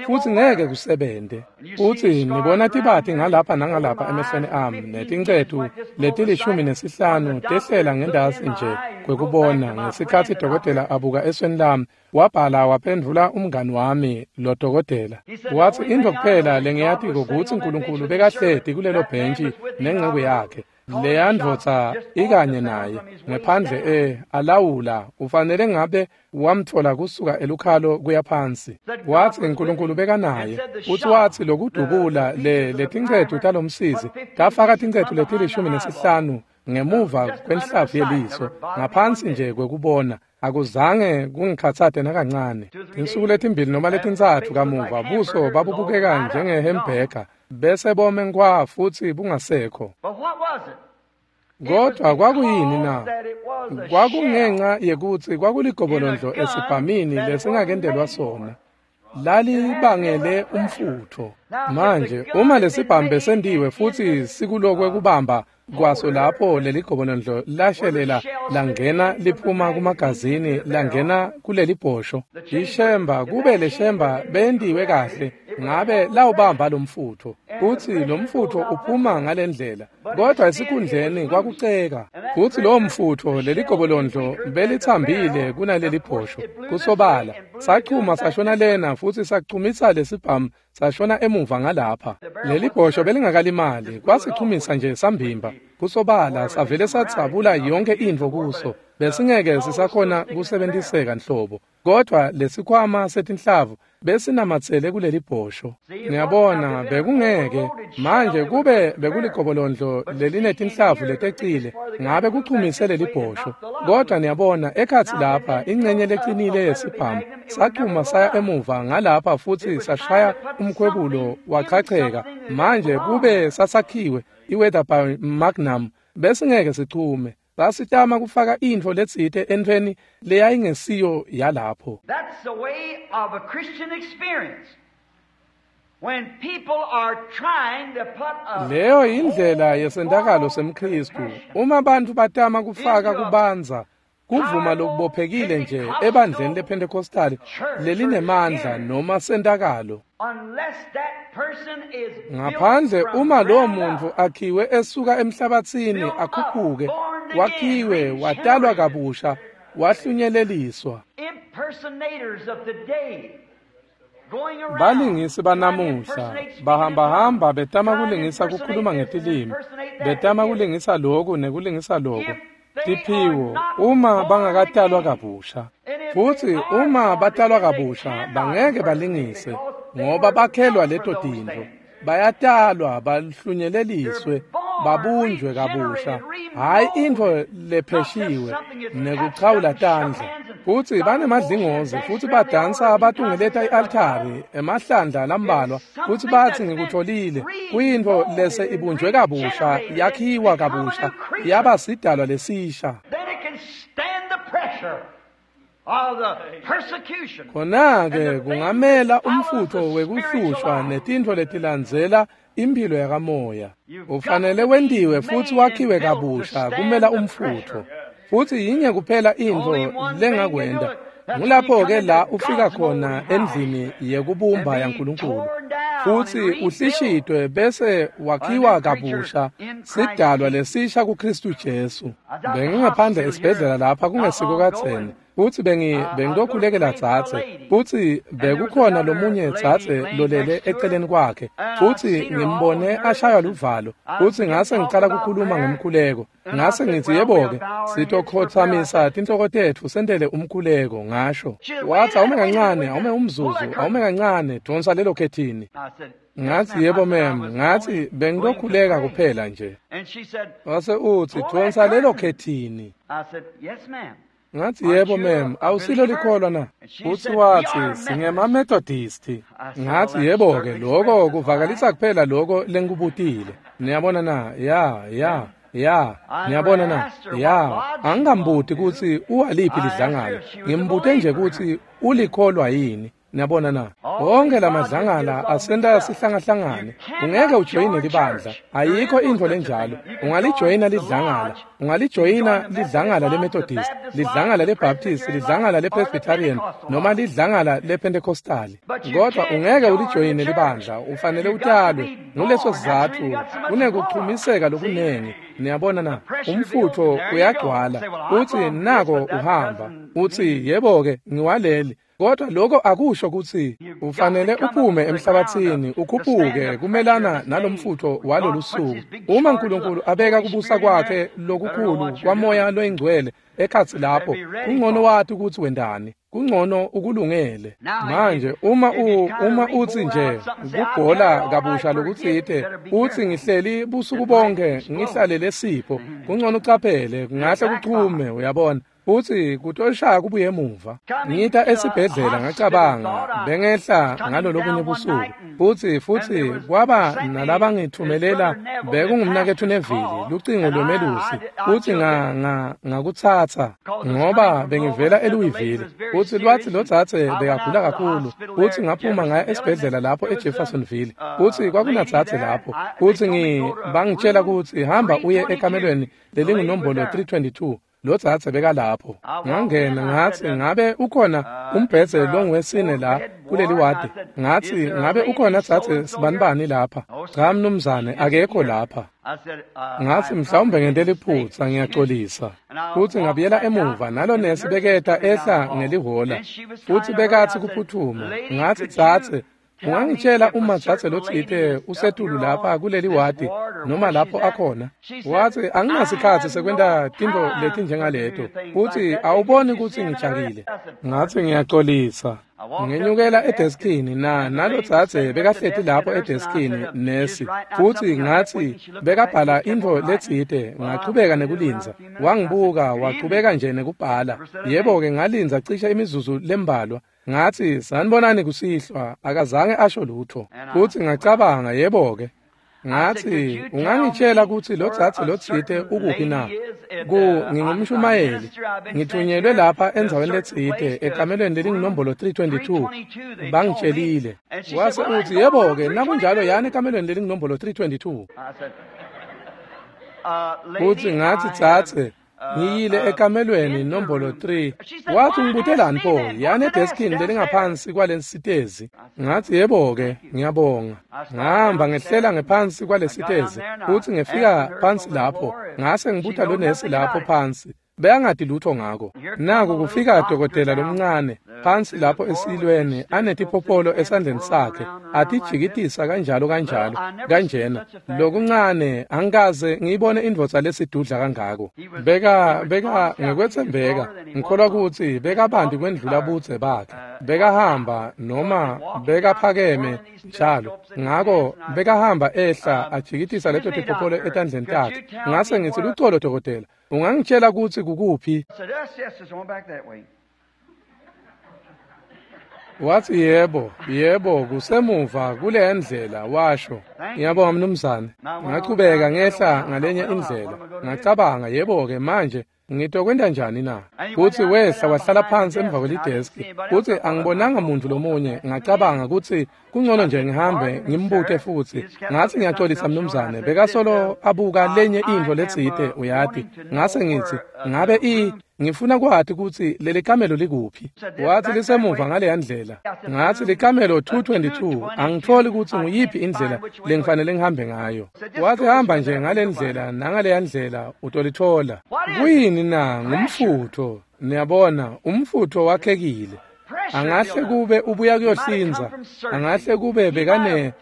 futsi ngeke kusebente. Futsi nibona tibati ngalapha nangalapha emehlweni ami, netincethu leti-15 tehlela ngendasi nje kwekubona. Ngesikhatsi dokotela abuka esweni lami, wabhala waphendvula umngani wami lo dokotela. Watsi intfo kuphela lengiyatiko kutsi Nkulunkulu bekahleti kulelo bhentshi nenceku yakhe. Leya ndvodza ikanye naye ngephandle alawula, ufanele ngabe wamtfola kusuka elukhalo kuya phansi. Watsi Nkulunkulu bekanaye, futsi watsi lokudubula letincethu talomsizi tafaka tincethu leti-15 ngemuva kwenhlavu yeliso, ngaphansi nje kwekubona. Akuzange kungikhatsate nakancane. Tinsuku letimbili noma letintsatfu kamuva, buso babubukeka njengehembhega, bese bome nkhwa futsi bungasekho. Kodvwa kwakuyini na? Kwakungenca yekutsi kwakuligobolondlo esibhamini lesingakentelwa sona, lalibangele umfutfo. Manje uma lesibhamu besentiwe futsi sikulokwe kubamba kwaso lapho leligobolondlo lashelela langena liphuma kumagazini langena kuleli bhosho, ishemba kube leshemba bentiwe kahle ngabe lawubamba lo mfutfo, futsi lo mfutfo uphuma ngalendlela. Kodwa esikhundleni kwakuceka, futsi lowo mfutfo leligobolondlo belithambile kunaleli bhosho. Kusobala sachuma sashona lena futsi sachumisa lesibhamu sashona emuva ngalapha. Leli bhosho belingakalimali, kwasichumisa nje sambimba. Kusobala savele satsabula yonke intfo kuso, besingeke sisakhona kusebentiseka nhlobo. Kodvwa lesikhwama setinhlavu besinamatsele kuleli bhosho. Ngiyabona bekungeke manje kube bekuligobolondlo lelinetinhlavu letecile ngabe kuchumise leli bhosho. Kodwa niyabona ekhatsi lapha ingcenye lecinile yesibhamu sachuma saya emuva ngalapha futsi sashaya umkhwebulo wachacheka. Manje kube sasakhiwe iWeatherby Magnum besingeke sichume. Sasitama kufaka intfo letsite entfweni leyayingesiyo yalapho. That's the way of a Christian experience. When people are trying to put a Leyo indlela yesentakalo semKhristu. Uma bantfu batama kufaka kubanza kuvuma lokubophekile nje ebandleni lePentecostal lelinemandla noma sentakalo, ngaphandle uma lowo muntu akhiwe esuka emhlabatsini akhuphuke, wakhiwe watalwa kabusha, wahlunyeleliswa. Balingisi banamuhla bahambahamba betama kulingisa kukhuluma ngetilimi, betama kulingisa loku nekulingisa loko. Tiphiwo uma bangakatalwa kabusha, futsi uma batalwa kabusha bangeke balingise ngoba bakhelwa leto tintfo. Bayatalwa bahlunyeleliswe, Babunjwe kabusha, hhayi intfo lepheshiwe nekuchawula tandla. Futsi banemadlingozi futsi badansa batungeleta i-altari emahlandla lambalwa futsi batsi ngikutfolile. Kuyintfo lese ibunjwe kabusha, yakhiwa kabusha, yaba sidalwa lesisha. Khona-ke kungamela umfutfo wekuhlushwa netintfo letilandzela imphilo yakamoya. Ufanele wentiwe futsi wakhiwe kabusha kumela umfutfo. Futsi yinye kuphela intfo lengakwenta. Ngulapho-ke la ufika khona endlini yekubumba yaNkulunkulu. Futsi uhlishitwe bese wakhiwa kabusha, sidalwa lesisha kuKristu Jesu. Bengingaphandle esibhedlela lapha kungesiko kadzeni. Futsi bengitokhulekela dzadze, futsi bekukhona lomunye dzadze lolele eceleni kwakhe, futsi ngimbone ashaywa luvalo, futsi ngase ngicala kukhuluma ngemkhuleko. Ngase ngitsi yebo-ke, sitokhotsamisa tinhloko tetfu sentele umkhuleko, ngasho. Watsi awume kancane, awume umzuzu, awume kancane, dvonsa lelo khethini. Ngatsi yebo ma'am, ngatsi bengitokhuleka kuphela nje. Wase utsi dvonsa lelo khethini. Ngatsi yebo ma'am, awusilo likholwa na? Futsi watsi singemaMethodisti. Ngatsi yebo-ke, loko kuvakalisa kuphela loko lengikubutile. Niyabona na? Ya. Niyabona na? Ya, angingambuti kutsi uwaliphi lidlangala. Ngimbute nje kutsi ulikholwa yini. Niyabona na? Wonke lamadlangala asenta sihlangahlangane. Ungeke ujoyine libandla. Ayikho intfo lenjalo. Ungalijoyina lidlangala. Ungalijoyina lidlangala leMethodist, lidlangala leBaptist, lidlangala lePresbyterian noma lidlangala lePentecostal. Kodwa ungeke ulijoyine libandla, ufanele utalwe. Nguleso sizatfu kunekuchumiseka lokunengi. Niyabona na? Umfutfo uyagcwala. Utsi nako uhamba. Utsi yebo-ke ngiwaleli. Kodwa lokho akusho kutsi ufanele uphume emhlabathini ukhuphuke kumelana nalomfutfo walolusuku. Uma uNkulunkulu abeka kubusa kwakhe lokukhulu kwamoya loyingcwele ekhatsi lapho, kungcono wati kutsi wendani, kungcono ukulungele. Manje uma utsi nje kugola kabusha lokutsite, utsi ngihleli busuku bonke ngihlalele sipho, kungcono ucaphele, kungahle kuchume, uyabona. Futsi kutoshaya kubuye emuva. Ngita esibhedlela ngacabanga bengehla ngalolobunye busuku. Futsi kwaba nalabangithumelela bekungumnaketfu Neville lucingo lwemelusi. Futsi ngakutsatsa ngoba bengivela eLouisville. Futsi lwatsi lodzadze bekagula kakhulu. Futsi ngaphuma ngaya esibhedlela lapho eJeffersonville. Futsi kwakunadzadze lapho. Futsi bangitshela kutsi hamba uye ekamelweni lelingunombolo 322. Lodzadze bekalapho. Ngangena ngatsi ngabe ukhona umbhedze longuwesine la kuleli wadi. Ngatsi ngabe ukhona dzadze sibanibani lapha? Cha mnumzane, akekho lapha. Ngatsi mhlawumbe ngente liphutsa, ngiyaxolisa. Futsi ngabuyela emuva nalo nesi beketa ehla ngelihola. Futsi bekatsi kuphutfuma. Ngatsi dzadze, ungangitshela uma dzadze lotsite usetulu lapha kuleli wadi noma lapho akhona? Watsi anginasikhatsi sekwenta tintfo letinjengaleto. Futsi awuboni kutsi ngijakile. Ngatsi ngiyaxolisa. Ngenyukela edeskini nalo dzadze bekahleti lapho edeskini nesi. Futsi ngatsi bekabhala intfo letsite, ngachubeka nekulindza. Wangibuka wachubeka nje nekubhala. Yebo-ke ngalindza cishe imizuzu lembalwa. Ngatsi sanibonani kusihlwa, akazange asho lutho. Futsi ngacabanga yebo-ke. Ngatsi ungangitshela kutsi lodzadze lotsite ukuphi na? Ngingumshumayeli. Ngithunyelwe lapha endzaweni letsite ekamelweni lelingunombolo 322. Bangitshelile. Wase utsi yebo-ke nakunjalo yani ekamelweni lelingunombolo 322. Futsi ngatsi dzadze, ngiyile ekamelweni nombolo 3. Watsi ngibutelani pho, yani edeskini lelingaphansi kwalesitezi. Ngatsi yebo-ke, ngiyabonga. Ngahamba ngehlela ngephansi kwalesitezi, futsi ngefika phansi lapho, ngase ngibuta lo nesi lapho phansi. Beyangati lutho ngako. Naku kufika dokotela lomncane phansi lapho esilweni anetiphopholo esandleni sakhe, atijikitisa kanjalo kanjalo kanjena. Lokuncane angikaze ngiyibone indvodza lesidudla kangako. Beka ngekwetsembeka, ngikholwa kutsi bekabanti kwendlula budze bakhe. Bekahamba noma bekaphakeme njalo, ngako bekahamba ehla ajikitisa leto tipopolo etandleni takhe. Ngase ngithi, "Lucolo dokotela, ungangitshela kutsi kukuphi?" Wathi, "Yebo, yebo, kusemuva kule ndlela," washo. "Ngiyabonga mnumzane." Ngachubeka ngehla ngalenye indlela. Ngacabanga, "Yebo-ke manje ngitokwenta njani na?" Kutsi wehla wahlala phansi emva kwelideski. Kutsi angibonanga muntu lomunye. Ngacabanga kutsi kungcono nje ngihambe ngimbute futsi. Ngathi, "Ngiyaxolisa mnumzane." Bekasolo abuka lenye intfo letsite, uyati. Ngase ngithi, "Ngabe ngifuna kwati kutsi leli kamelo likuphi?" Wathi, "Lisemuva ngaleya ndlela." Ngathi, "Likamelo 222, angitfoli kutsi nguyiphi indlela lengifanele ngihambe ngayo." Wathi, "Hamba nje ngale ndlela nangaleya ndlela utolithola." Kuyini na? Ngumfutho. Niyabona, umfutho wakhekile. Angahle kube ubuya kuyohlinza, angahle kube bekane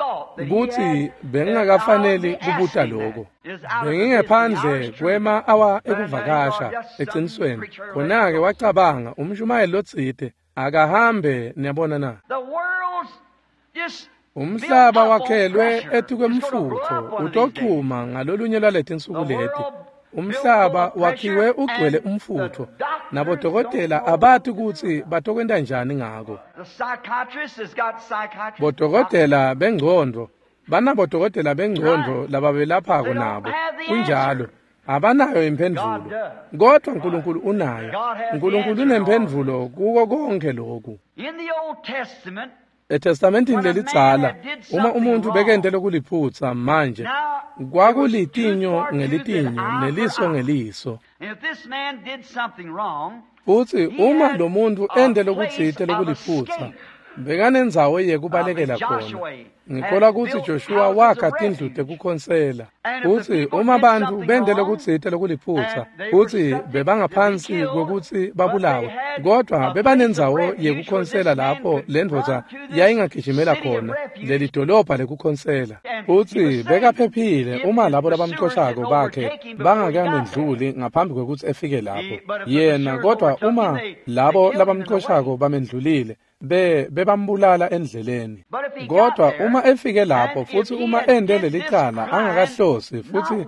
kutsi bengingakafaneli kubuta lokho. Bengingephandle kwema-awa ekuvakasha ecinisweni. Khona-ke wacabanga, umshumayeli lotsite akahambe, niyabona na. Umhlaba wakhelwe etikwemfutho, utochuma ngalolunye lwaletinsuku leti. Umhlaba wakhiwe ugcwele umfutho, nabodokotela abati kutsi batokwenta njani ngako. Bodokotela bengcondvo banabodokotela bengcondvo lababelaphako nabo, kunjalo, abanayo imphendvulo, kodwa Nkulunkulu unayo. Nkulunkulu unemphendvulo kuko konke lokhu. ETestamentini lelidzala, uma umuntu bekente lokuliphutsa, manje kwakulitinyo ngelitinyo neliso ngeliso. Futsi uma lo muntu ente lokutsite lokuliphutsa, bekanendzawo yekubalekela khona. Ngikholwa kutsi Joshua wakha tindlu tekukhonsela. Futsi uma bantfu bente lokutsite lokuliphutsa, futsi bebangaphansi kwekutsi babulawe, kodwa bebanendzawo yekukhonsela lapho lendvodza yayingagijimela khona, leli dolobha lekukhonsela. Futsi bekaphephile uma labo labamcoshako bakhe bangakamendluli ngaphambi kwekutsi efike lapho. Yena, kodwa uma labo labamcoshako bamendlulile, bebambulala endleleni. Kodwa uma efike lapho, futhi uma ente lelicala angakahlosi futhi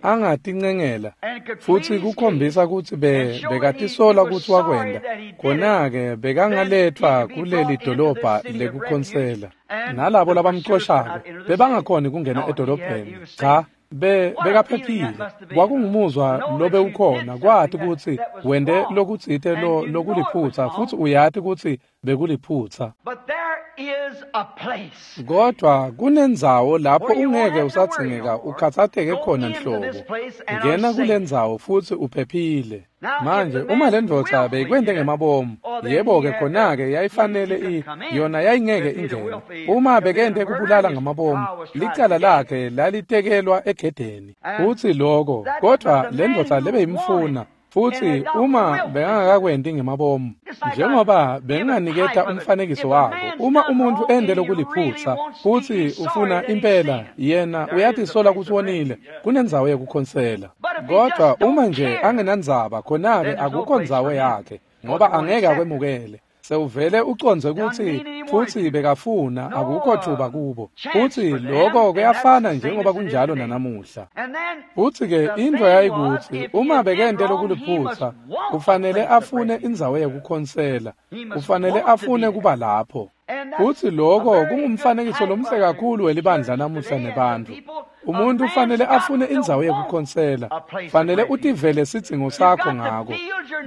angatincengela, futhi kukhombisa kutsi bekatisola kutsi wakwenta, khona-ke bekangaletfwa kuleli dolobha lekukhonsela. Nalabo labamcoshako bebangakhoni kungena edolobheni. Cha, bekaphephile. Kwakungumuzwa lobewukhona kwati kutsi wente lokutsite lokuliphutsa, futhi uyati kutsi bekuliphutsa. Kodwa kunendzawo lapho ungeke usadzingeka ukhathatseke khona nhlobo. Ngena kulendzawo futhi uphephile. Manje uma lendvodza beyikwente ngemabomu, yebo-ke khona-ke yayifanele yona yayingeke ingene. Uma bekente kubulala ngamabomu, licala lakhe lalitekelwa egedeni. Futsi lokho, kodwa lendvodza lebeyimfuna, futhi uma bekangakakwenti ngemabomu, njengoba benginganiketa umfanekiso wako, uma umuntu ente lokuliphutsa futhi ufuna impela, yena uyatisola kutsi wonile, kunendzawo yekukhonsela. Kodwa uma nje angenandzaba, khona-ke akukho ndzawo yakhe, ngoba angeke akwemukele. Sewuvele ucondze kutsi futhi bekafuna, akukho thuba kubo. Futhi lokho kuyafana njengoba kunjalo nanamuhla. Futhi-ke intfo yayikutsi uma bekente lokuliphutsa, kufanele afune indzawo yekukhonsela, kufanele afune kuba lapho. Futhi lokho kungumfanekiso lomhle kakhulu welibandla namuhla nebantfu. Umuntu ufanele afune indzawo yekukhonsela, fanele utivele sidzingo sakho ngako.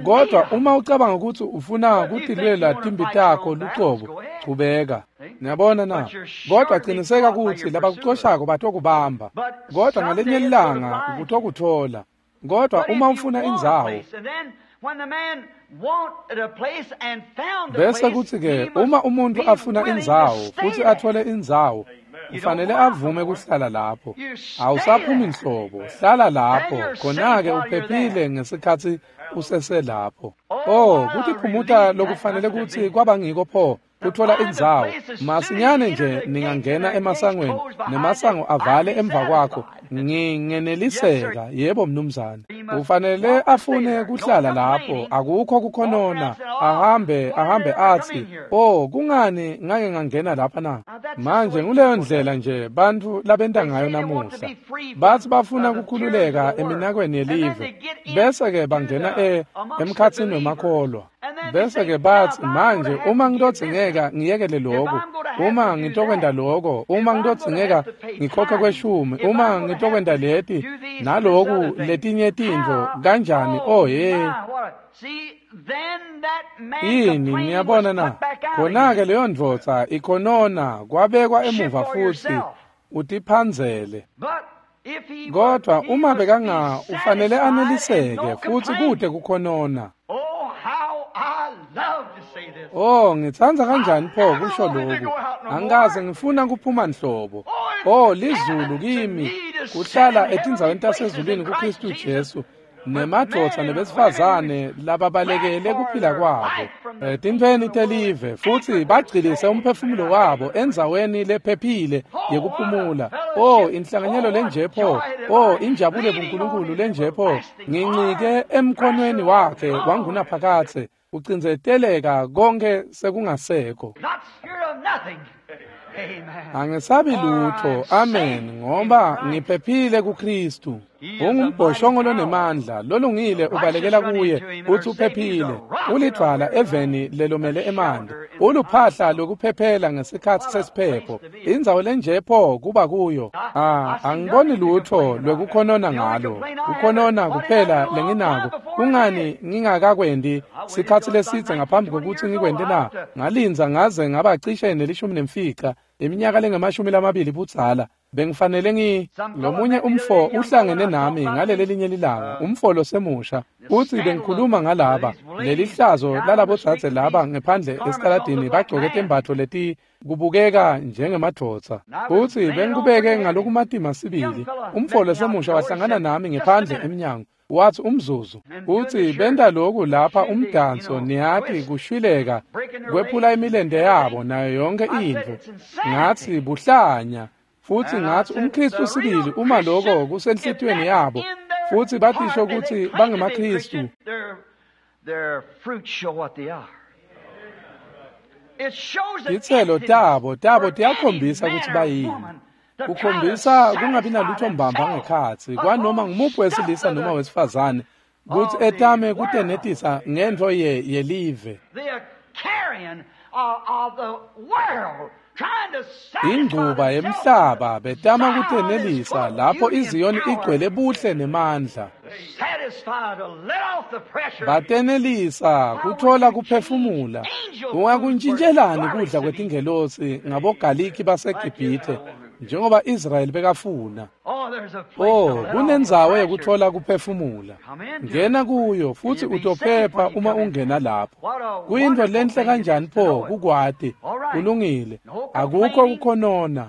Kodwa uma ucabanga ukuthi ufuna kutilwela timbi takho lucobo, chubeka. Niyabona na? Kodwa qiniseka kutsi labakucoshako batokubamba. Kodwa ngalenye ilanga kutokuthola. Kodwa uma ufuna indzawo, bese kutsi-ke uma umuntu afuna indzawo futhi athole indzawo, ufanele avume kuhlala lapho. Awusaphumi nhlobo, hlala lapho, khona-ke uphephile ngesikhatsi useselapho. Oh, kutiphumuta lokufanele kutsi kwabangiko pho kuthola indzawo. Masinyane nje ningangena emasangweni, nemasango avale emva kwakho, ngingeneliseka. Yebo mnumzane. Ufanele afune kuhlala lapho, akukho kukhonona, ahambe athi, "Oh, kungani ngake ngangena lapha na?" Manje nguleyo ndlela nje bantfu labenta ngayo namuhla. Bathi bafuna kukhululeka eminakweni yelive, bese-ke bangena emkhatsini wemakholwa. Bese-ke bathi, manje uma ngitodzingeka ngiyekele lokhu, uma ngitokwenta lokho, uma ngitodzingeka ngikhokhe kweshumi, uma ngitokwenta leti naloku letinye tintfo kanjani, oh he. Yini niyabona na? Khona-ke leyo ndvodza ikhonona kwabekwa emuva futhi utiphandzele. Kodwa uma bekanga ufanele aneliseke futhi kude kukhonona. Oh, ngitsandza kanjani pho kusho lokhu. Angikaze ngifuna kuphuma nhlobo. Oh, lizulu kimi kuhlala etindzaweni tasezulwini kuKristu Jesu nemadvodza nebesifazane lababalekele kuphila kwabo etintfweni telive futhi bagcilise umphefumulo wabo endzaweni lephephile yekuphumula. Oh, inhlanganyelo lenje pho. Oh, injabulo kuNkulunkulu lenje pho. Ngincike emkhonweni wakhe wangunaphakadze. Ucindzeteleka konke sekungasekho. Angesabi lutho, amen, ngoba ngiphephile kuKristu. Ungumbhoshongo lonemandla, lolungile ubalekela kuye, uthi uphephile. Ulidvwala eveni lelomele emanti, uluphahla lokuphephela ngesikhatsi sesiphepho. Indzawo lenje pho kuba kuyo. Angiboni lutho lwekukhonona ngalo. Kukhonona kuphela lenginako. Kungani ngingakakwendi sikhatsi lesidze ngaphambi kokuthi ngikwente na? Ngalinza ngaze ngaba cishe ne-15, iminyaka lengama-20 budzala. Bengifanele lomunye umfo uhlangene nami ngaleli linye lilanga, umfo losemusha, uthi bengikhuluma ngalaba lelihlazo lalabo dzadze laba ngephandle esitaladini bagcoke tembatfo leti kubukeka njengemadvodza. Uthi bengikubeke ngalokumatima sibili. Umfo losemusha wahlangana nami ngephandle emnyango, wathi umzuzu, uthi benta lokhu lapha umdanso, niyati, kushwileka, kwephula imilente yabo nayo yonke intfo. Ngathi buhlanya. Futhi ngathi umKristu sibili uma lokho kusenhlitiyweni yabo futhi batisho ukuthi bangemaKristu, titselo tabo tiyakhombisa ukuthi bayini. Kukhombisa kungabi nalutho mbamba ngekhatsi kwanoma ngumuphi wesilisa noma wesifazane kutsi etame kutenetisa ngentfo yelive. Ingcuba yemhlaba betama kutenelisa lapho iZiyoni igcwele buhle nemandla. Batenelisa kuthola kuphefumula. Ungakuntshintshelani kudla kwetingelosi ngabogaliki baseGibhithe njengoba Israyeli bekafuna. Oh, kunendzawo yekuthola kuphefumula. Ngena kuyo futhi utophepha uma ungena lapho. Kuyintfo lenhle kanjani pho kukwati. Kulungile. Akukho kukhonona.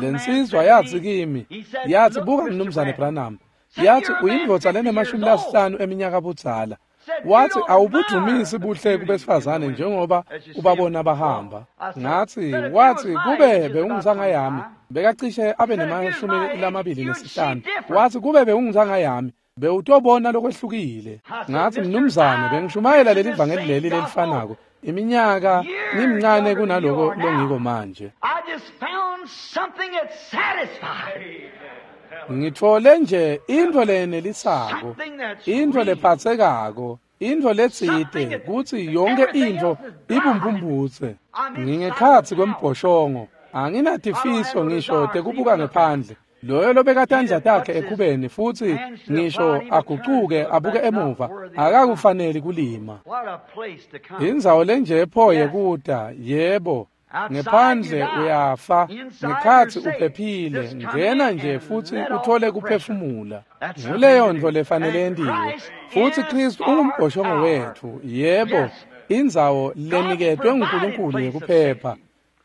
Lensizwa yathi kimi, yathi buka Mnumzane Branham, yathi uyindvodza lene-50 eminyaka budzala. Wathi awubudumisi buhle kubesifazane njengoba ubabona bahamba. Ngathi wathi kube bewungizanga yami bekacishe abe ne-25. Wathi kube bewungizanga yami bewutobona lokwehlukile. Ngathi mnumzane bengishumayela leli vangeli leli lelifanako iminyaka ngimncane kunaloko longiko manje. Ngithole nje intfo leyenelisako, intfo lephatsekako, intfo letsite kutsi yonke intfo ibumphumputse. Ngingekhatsi kwembhoshongo, anginatifiso ngisho tekubuka ngephandle. Loyo lobeka tandla takhe ekhubeni futhi ngisho agucuke abuke emuva akakufaneli kulima. Indzawo lenje pho yekuta, yebo. Ngephandle uyafa, ngekhatsi uphephile, ngena nje futsi uthole kuphefumula. Nguleyo ntfo lefanele yentiwe. Futsi Kristu ungumbhoshongo wetfu, yebo, indzawo leniketwe nguNkulunkulu yekuphepha.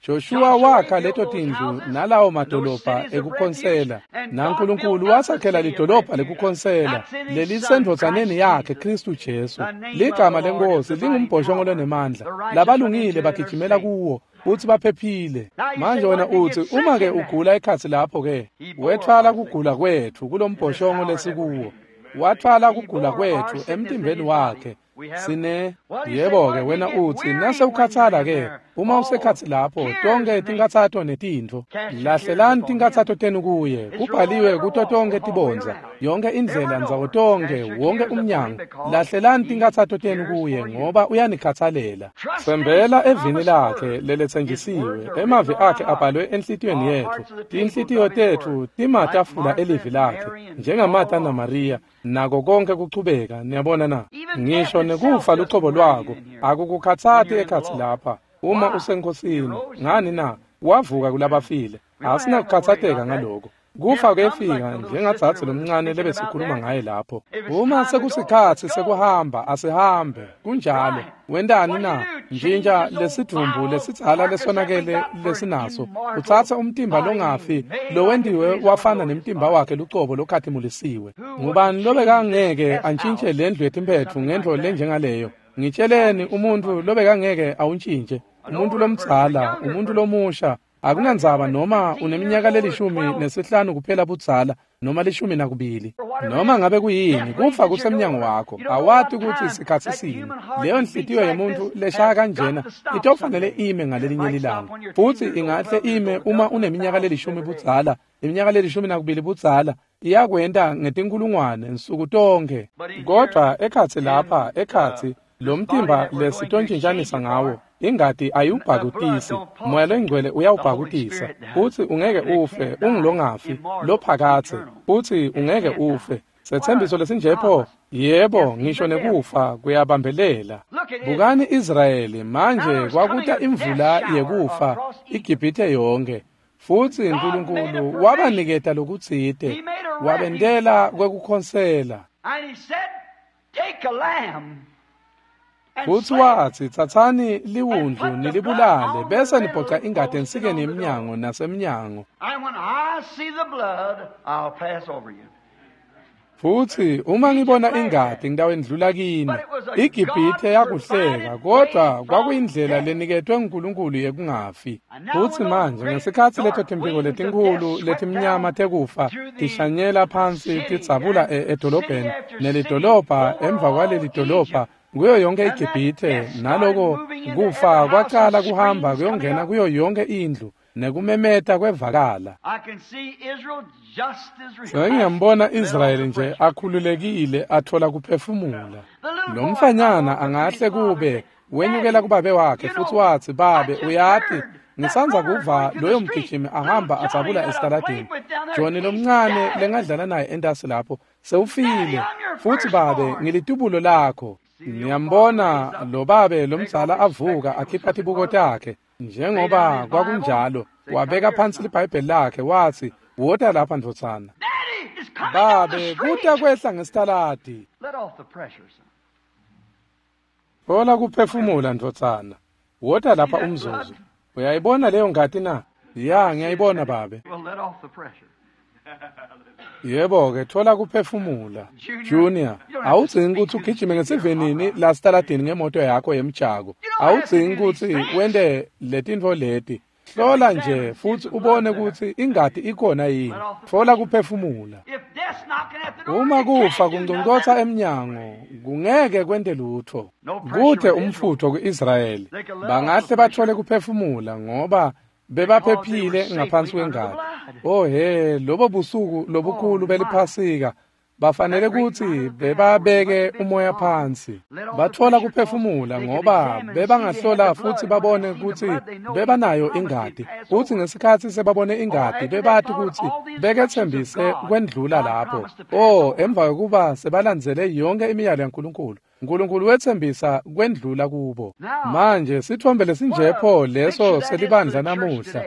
Joshua wakha leto tindlu nalawo madolobha ekukhonsela, naNkulunkulu wasakhela lidolobha lekukhonsela lelisendvodzaneni yakhe Kristu Jesu. Ligama leNkosi lingumbhoshongo lonemandla, labalungile bagijimela kuwo futhi baphephile. Manje wena uthi uma ke ugula ekhatsi lapho ke, wetfwala kugula kwetfu kulombhoshongo lesikuwo. Watfwala kugula kwetfu emtimbeni wakhe. Sine yebo-ke wena utsi nasewukhathala-ke uma usekhatsi lapho tonkhe tinkhatsato netintfo lahlelani tinkhatsato tenu kuye. Kubhaliwe kuto tonkhe tibondza, yonkhe indlela, ndzawo tonkhe, wonke umnyango. Lahlelani tinkhatsato tenu kuye ngoba uyanikhatsalela. Tsembela evini lakhe leletsenjisiwe. Emavi akhe abhalwe enhlitiyweni yetfu. Tinhlitiyo tetfu timatafula elivi lakhe njengaMata naMariya nako konke kuchubeka. Niyabona na? Ngisho nekufa lucobo lwako akukukhatsati ekhatsi lapha uma usenkosini. Ngani na? Wavuka kulabafile. Asinakukhatsateka ngaloko. Kufa kuyefika njengadzadze lomncane lebesikhuluma ngaye lapho. Uma sekusikhatsi sekuhamba, asihambe. Kunjalo. Wentani na? Ntshintsha lesidvumbu lesidzala lesonakele lesinaso, utsatse umtimba longafi lowentiwe wafana nemtimba wakhe lucobo lokhatimulisiwe. Ngubani lobekangeke antshintshe lendlu yetimphetfu ngentfo lenjengaleyo? Ngitsheleni umuntfu lobekangeke awuntshintshe. Umuntu lomdzala, umuntu lomusha, akunandzaba noma uneminyaka le15 kuphela budzala noma 12, noma ngabe kuyini, kufa kusemnyango wakho. Awati kutsi sikhatsi sini. Leyo nhliziyo yemuntu leshaya kanjena itofanele ime ngalelinye lilanga, futsi ingahle ime uma uneminyaka le10 budzala, iminyaka le12 budzala. Iyakwenta ngetinkulungwane nsuku tonkhe. Kodwa ekhatsi lapha, ekhatsi lo mtimba lesitontjintjanisa ngawo, ingati ayiwubhakutisi, Moya loNgcwele uyawubhakutisa. Futsi ungeke ufe, ungulongafi lophakadze, futsi ungeke ufe. Setsembiso lesinjepho, yebo, ngisho nekufa kuyabambelela. Bukani Israyeli manje, kwakuta imvula yekufa iGibhithe yonke, futsi Nkulunkulu wabaniketa lokutsite, wabentela kwekukhonsela. Futsi watsi, tsatsani liwundlu nilibulale bese nibhoca ingati ensikeni yemnyango nasemnyango. Futsi uma ngibona ingati ngitawendlula kini. iGibhithe yakuhleka, kodwa kwakuyindlela leniketwe nguNkulunkulu yekungafi. Futsi manje ngesikhatsi leto timphiko letinkhulu letimnyama tekufa tishanyela phansi tidzabula edolobheni nelidolobha emva kwaleli dolobha kuyo yonke iGibhithe, naloko kufa kwacala kuhamba kuyongena kuyo yonke indlu, nekumemeta kwevakala. Sengiyambona Israyeli nje akhululekile athola kuphefumula. Lo mfanyana angahle kube wenyukela kubabe wakhe futsi watsi, babe, uyati ngisandza kuva loyo mgijimi ahamba adzabula esitaladini. Johnny lomncane lengadlala naye entasi lapho sewufile, futsi babe ngilitubulo lakho. Ngiyambona lo babe lomdzala avuka akhipha tibuko takhe njengoba kwakunjalo, wabeka phansi libhayibheli lakhe watsi, wota lapha ndvodzana. Babe, kuta kwehla ngesitaladi. Thola kuphefumula ndvodzana. Wota lapha umzuzu. Uyayibona leyo ngati na? Ya, ngiyayibona babe. Yebo-ke, thola kuphefumula. Junior, awudzingi kutsi ugijime ngesivinini lasitaladini ngemoto yakho yemjako. Awudzingi kutsi wente letintfo leti. Hlola nje futsi ubone kutsi ingati ikhona yini. Thola kuphefumula. Uma kufa kungcongcotsa emnyango, kungeke kwente lutfo. Kute umfutfo ku-Israyeli. Bangahle bathole kuphefumula ngoba bebaphephile ngaphansi kwengati. Oh he, lobo busuku lobukhulu beliphasika bafanele kutsi bebabeke umoya phansi. Batfola kuphefumula ngoba bebangahlola futsi babone kutsi bebanayo ingati. Futsi ngesikhatsi sebabone ingati bebati kutsi beketsembise kwendlula lapho. Oh, emva kokuba sebalandzele yonke imiyalo yaNkulunkulu, Nkulunkulu wetsembisa kwendlula kubo. Manje sitfombe lesinjepho leso selibandla namuhla.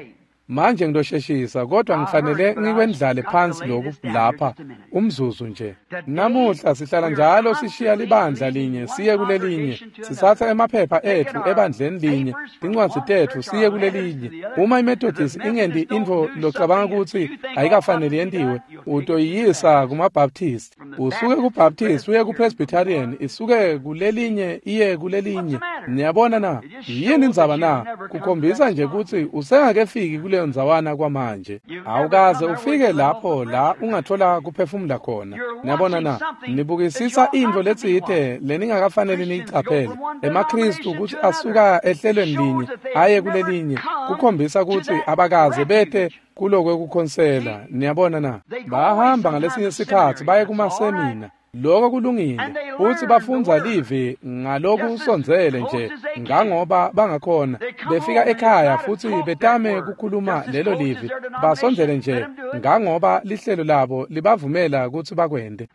Manje ngidosheshisa, kodwa ngifanele ngikwendlale phansi lokhu lapha umzuzu nje. Namuhla sihlala njalo sishiya libandla linye siye kulelinye, sitsatsa emaphepha etfu ebandleni linye, tincwadzi tetfu siye kulelinye. Uma iMethodist ingenti intfo locabanga kutsi ayikafaneli yentiwe, utoyiyisa kumaBaptist, usuke kuBaptist uye kuPresbyterian, isuke kulelinye iye kulelinye. Niyabona na? Yini indzaba na? Kukhombisa nje kutsi usengakefiki kuleyo ndzawana kwamanje. Awukaze ufike lapho la ungathola kuphefumula khona. Niyabona na? Nibukisisa intfo letsite leningakafanele niyicaphele. EmaKristu kutsi asuka ehlelweni linye aye kulelinye, kukhombisa kutsi abakaze bete kulokwekukhonsela. Niyabona na? Bahamba ngalesinye sikhatsi baye kumasemina. Lokho kulungile, futhi bafundza livi ngalokusondzele nje ngangoba bangakhona. Befika ekhaya futhi betame kukhuluma lelo livi, basondzele nje ngangoba lihlelo labo libavumela kutsi bakwente.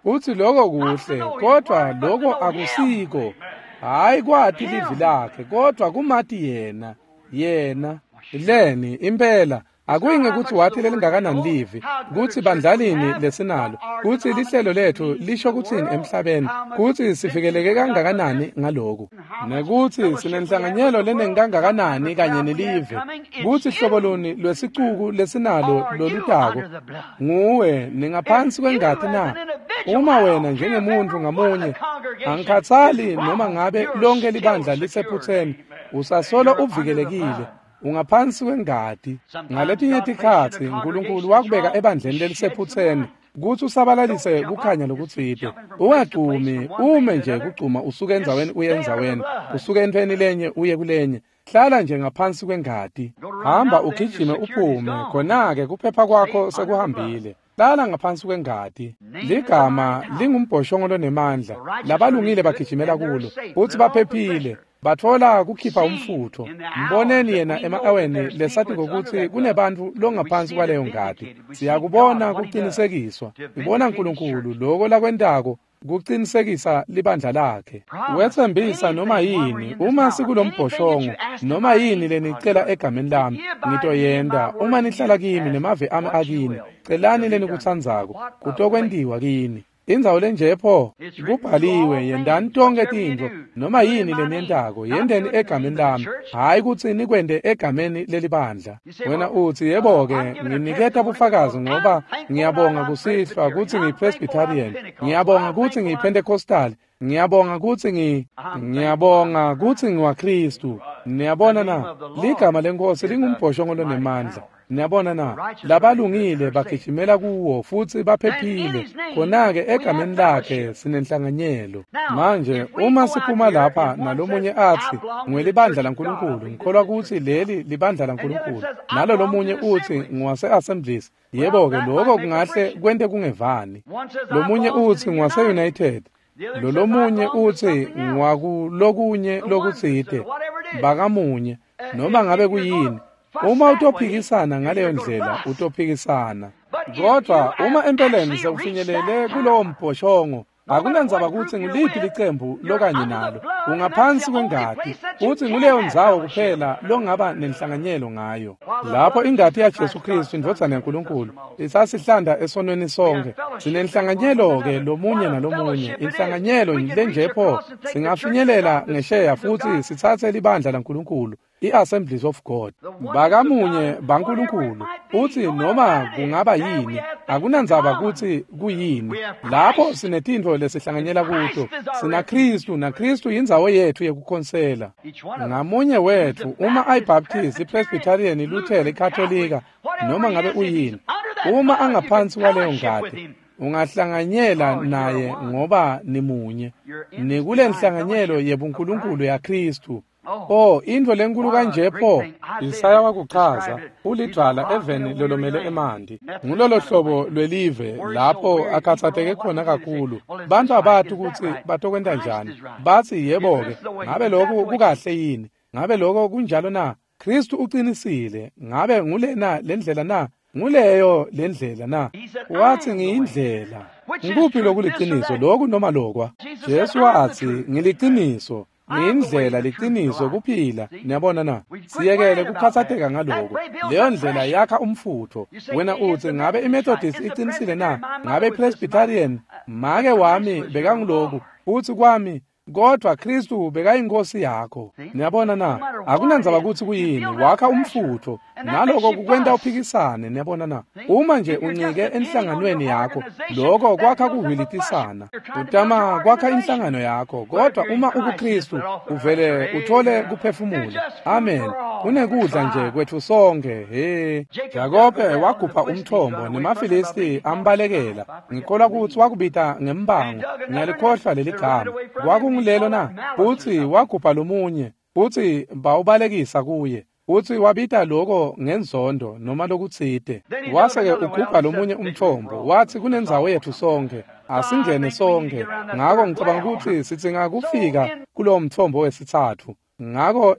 Uthi lokho kuhle, kodwa lokho akusiko. Hayi kwati livi lakhe, kodwa kumati yena. Yena leni impela. Akuyi ngekutsi wathi lelingakanani livi, kutsi bandlalini lesinalo, kutsi lihlelo letfu lisho kutsini emhlabeni, kutsi sifikeleke kangakanani ngaloku, nekutsi sinenhlanganyelo lenengi kangakanani kanye nelive, kutsi hlobo luni lwesicuku lesinalo lolutako. Nguwe ningaphansi kwengati na? Uma wena njengemuntfu ngamunye, angikhatsali noma ngabe lonke libandla lisephutseni, usasolo uvikelekile. Ungaphansi kwengati. Ngaletinye tikhatsi uNkulunkulu wakubeka ebandleni lelisephutseni kutsi usabalalise kukhanya lokutsite. Ungagcumi, ume nje kugcuma usuke endzaweni uye endzaweni, usuke entfweni lenye uye kulenye. Hlala nje ngaphansi kwengati. Hamba ugijime uphume, khona-ke kuphepha kwakho sekuhambile. Hlala ngaphansi kwengati. Ligama lingumbhoshongo lonemandla. Labalungile bagijimela kulo, futsi baphephile. Batfola kukhipha umfutfo. Mboneni yena ema-aweni lesati ngokutsi kunebantfu longaphansi kwaleyo ngati. Siyakubona kucinisekiswa. Ibona uNkulunkulu loko lakwentako kucinisekisa libandla lakhe. Wetsembisa noma yini uma sikulombhoshongo, noma yini lenicela egameni lami, ngitoyenta. Uma nihlala kimi nemave ami akini, celani lenikutsandzako, kutokwentiwa kini. Indzawo lenje pho kubhaliwe, yentani tonkhe tintfo, noma yini leniyentako, yenteni egameni lami, hhayi kutsi nikwente egameni lelibandla. Wena utsi, yebo-ke, nginiketa bufakazi ngoba ngiyabonga kusihlwa kutsi ngiyiPresbyterian, ngiyabonga kutsi ngiyiPentecostal, ngiyabonga kutsi ngiyabonga kutsi ngiwaKristu. Niyabona na? Ligama leNkosi lingumbhoshongo lonemandla. Niyabona na? Labalungile bagijimela kuwo futsi baphephile. Khona-ke egameni lakhe sinenhlanganyelo. Manje uma siphuma lapha nalomunye atsi ngwelibandla laNkulunkulu, ngikholwa kutsi leli libandla laNkulunkulu, nalo lomunye utsi ngiwase-Assemblies, yebo-ke lokho kungahle kwente kungevani. Lomunye utsi ngiwase-United, lolomunye utsi ngiwakulokunye lokutsite, bakamunye, noma ngabe kuyini. Uma utophikisana ngaleyo ndlela, utophikisana. Kodwa uma empeleni sewufinyelele kulowo mbhoshongo, akunandzaba kutsi nguliphi licembu lokanye nalo, ungaphansi kwengati, utsi nguleyo ndzawo kuphela longaba nenhlanganyelo ngayo. Lapho ingati yaJesu Kristu indvodzana yaNkulunkulu isasihlanda esonweni sonke, sinenhlanganyelo-ke lomunye nalomunye. Inhlanganyelo lenje pho, singafinyelela ngesheya futsi sitsatse libandla laNkulunkulu, i-Assemblies of God, bakamunye baNkulunkulu. Utsi noma kungaba yini, akunandzaba kutsi kuyini, lapho sinetintfo lesihlanganyela kuto, sinaKristu, naKristu yindzawo yetfu yekukhonsela. Ngamunye wetfu, uma ayiBaptist, iPresbyterian, iLuthela, iKatolika, noma ngabe uyini, uma angaphansi kwaleyo ngati, ungahlanganyela naye ngoba nimunye. Nikule nhlanganyelo yebuNkulunkulu yaKristu. Oh, intfo lenkulu kanje pho. Isaya wakuchaza, ulidvwala eveni lolomele emanti. Ngulolo hlobo lwelive lapho akhatsateke khona kakhulu. Bantfu abati kutsi batokwenta njani. Batsi yebo-ke, ngabe lokhu kukahle yini? Ngabe lokho kunjalo na? Kristu uqinisile. Ngabe ngulena lendlela na? Nguleyo lendlela na? Wathi ngiyindlela. Ngikuphi lokuliciniso, lokhu noma lokwa? Jesu wathi ngiliciniso. Ngiyindlela, liciniso, kuphila. Niyabona na? Siyekele kukhatsateka ngaloko. Leyo ndlela yakha umfutfo. Wena utsi ngabe iMethodist iqinisile na? Ngabe iPresbyterian? Make wami bekanguloku, futsi kwami Kodwa Kristu bekayinkosi yakho. Niyabona na? Akunandzaba kutsi kuyini, wakha umfutfo. Naloko kukwenta uphikisane, niyabona na? Uma nje uncike enhlanganweni yakho, lokho kwakha kuhwilitisana. Utama kwakha inhlangano yakho, kodwa uma ukuKristu uvele uthole kuphefumula. Amen. Kunekudla nje kwethu sonke. He. Jakobe wagupha umthombo nemaFilisti ambalekela. Ngikholwa kutsi wakubita ngembango. Ngiyalikhohlwa leli gama. Kwakungilelo na? Futsi wagupha lomunye, futsi bawubalekisa kuye. Futsi wabita loko ngenzondo noma lokutsite. Wase-ke ugubha lomunye umthombo, wathi kunendzawo yethu sonke, asingene sonke. Ngako ngicabanga kutsi sidzinga kufika kulowo mthombo wesitsatfu. Ngako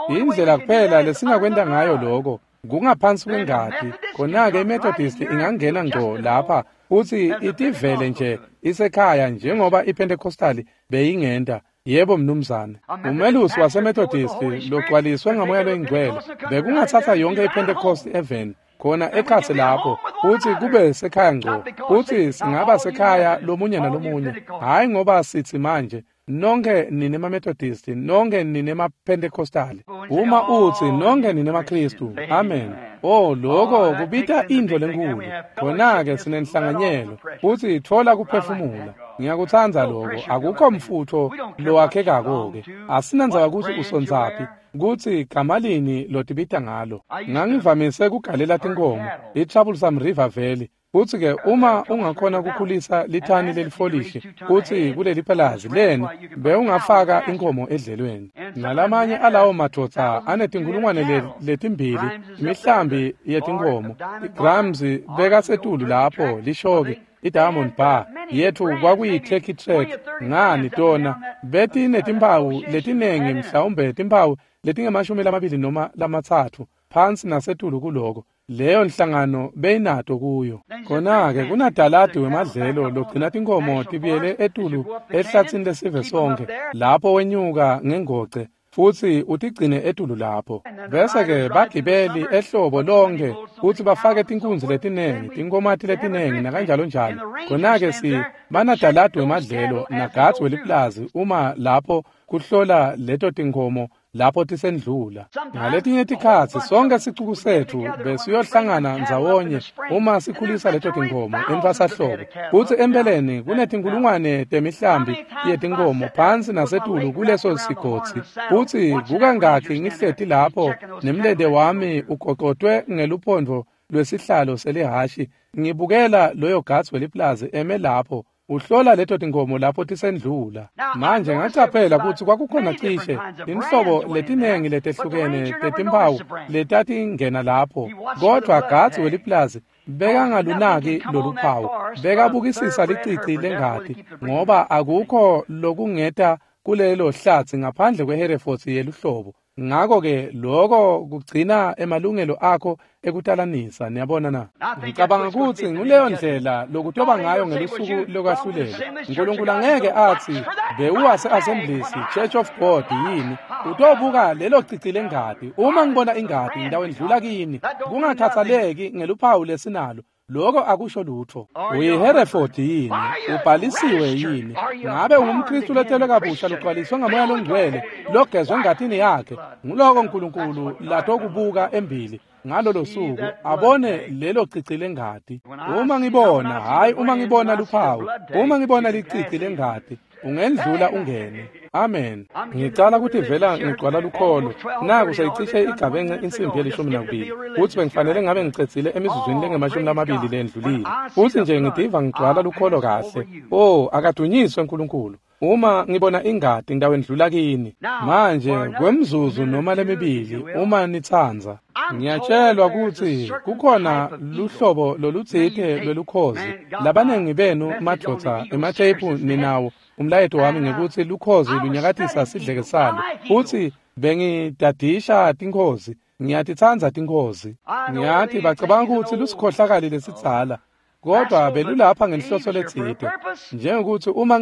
indlela kuphela lesingakwenta ngayo loko kungaphansi kwengati. Khona-ke iMethodist ingangena ngco lapha futsi itivele nje isekhaya njengoba iPentecostal beyingenta. Yebo mnumzane. Umelusi waseMethodist logcwaliswe ngamoya loyingcwele bekungatsatsa yonke iPentecost eveni khona ekhatsi lapho futsi kube sekhaya ngco, futsi singaba sekhaya lomunye nalomunye. Hhayi ngoba sitsi manje nonke ninemaMethodist, nonke ninemaPentecostal. Uma utsi nonke ninemaKristu, amen. Oh, lokho kubita intfo lenkhulu. Khona-ke sinenhlanganyelo futsi thola kuphefumula. Ngiyakutsandza lokho. Akukho mfutfo lowakhekako-ke. Asinandzaba kutsi usondzaphi, kutsi gamalini lotibita ngalo. Ngangivamise kugalela tinkhomo i-Troublesome River Valley. Futsi-ke uma ungakhona kukhulisa lithani lelifolishi kutsi kuleli palazi leni bewungafaka inkomo edlelweni. Nalamanye alawo madvodza anetinkulungwane letimbili imihlambi yetinkomo. Grams bekasetulu lapho lishoki iDiamond Bar yethu kwakuyi-Turkey Track. Ngani tona betinetimpawu letinengi, mhlawumbe timpawu letingamashumi noma 3 phansi nasetulu kuloko. Leyo nhlangano beyinato kuyo. Khona-ke kunadaladi wemadlelo logcina tinkomo tibuyele etulu ehlatsini lesive sonke, lapho wenyuka ngengoce futsi utigcine etulu lapho. Bese-ke bagibeli ehlobo lonke futsi bafake tinkunzi letinengi, tinkomati letinengi nakanjalo njalo. Khona-ke si banadaladi wemadlelo nagadzi weliplazi uma lapho kuhlola leto tinkomo lapho tisendlula. Ngaletinye tikhatsi sonke sicuku setfu besiyohlangana ndzawonye uma sikhulisa leto tinkomo entfwasahlobo. Futsi empeleni kunetinkulungwane temihlambi yetinkomo phansi nasetulu kuleso sigodzi. Futsi kukangakhi ngihleti lapho nemlente wami ugocotwe ngeluphondvo lwesihlalo selihhashi, ngibukela loyo gadzi weliplazi eme lapho uhlola leto tinkomo lapho tisendlula. Manje ngacaphela kutsi kwakukhona cishe tinhlobo letinengi letehlukene tetimpawu letatingena lapho, kodvwa gadzi weliplazi bekangalunaki loluphawu. Bekabukisisa licici lengati, ngoba akukho lokungeta kulelo hlatsi ngaphandle kweHereford yeluhlobo. Ngako-ke lokho kugcina emalungelo akho ekutalanisa. Niyabona na? Ngicabanga kutsi nguleyo ndlela lokutoba ngayo ngelusuku lokwahlulela. Nkulunkulu angeke atsi bewuwase-Assemblies Church of God yini. Utobuka lelo cici lengati. Uma ngibona ingati ngitawendlula kini, kungakhathaleki ngeluphawu lesinalo. Lokho akusho lutfo. UyiHereford yini? Ubhalisiwe yini? Ngabe ungumKristu lotelwe kabusha logcwaliswe ngamoya longcwele logezwe engatini yakhe? Nguloko Nkulunkulu latokubuka embili ngalolo suku, abone lelo cici lengati. Uma ngibona, hhayi uma ngibona luphawu, uma ngibona licici lengati, ungendlula ungene. Amen. Ngicala kutivela ngigcwala lukholo. Naku seyicishe igabence insimbi ye-12. Futsi bengifanele ngabe ngicedzile emizuzwini lengama-20 lendlulile. Futsi nje ngitiva ngigcwala lukholo kahle. Oh, akadunyiswe Nkulunkulu. Uma ngibona ingati ngitawendlula kini. Manje kwemzuzu noma lemibili uma nitsandza. Ngiyatshelwa kutsi kukhona luhlobo lolutsite lwelukhozi. Labanengi benu madvodza ematheyiphu ninawo umlayeto wami ngekutsi lukhozi lunyakatisa sidleke salo. Futsi bengidadisha tinkhozi. Ngiyatitsandza tinkhozi. Ngiyati bacabanga kutsi lusikhohlakali lesidzala, kodwa belulapha ngenhloso letsite. Njengekutsi uma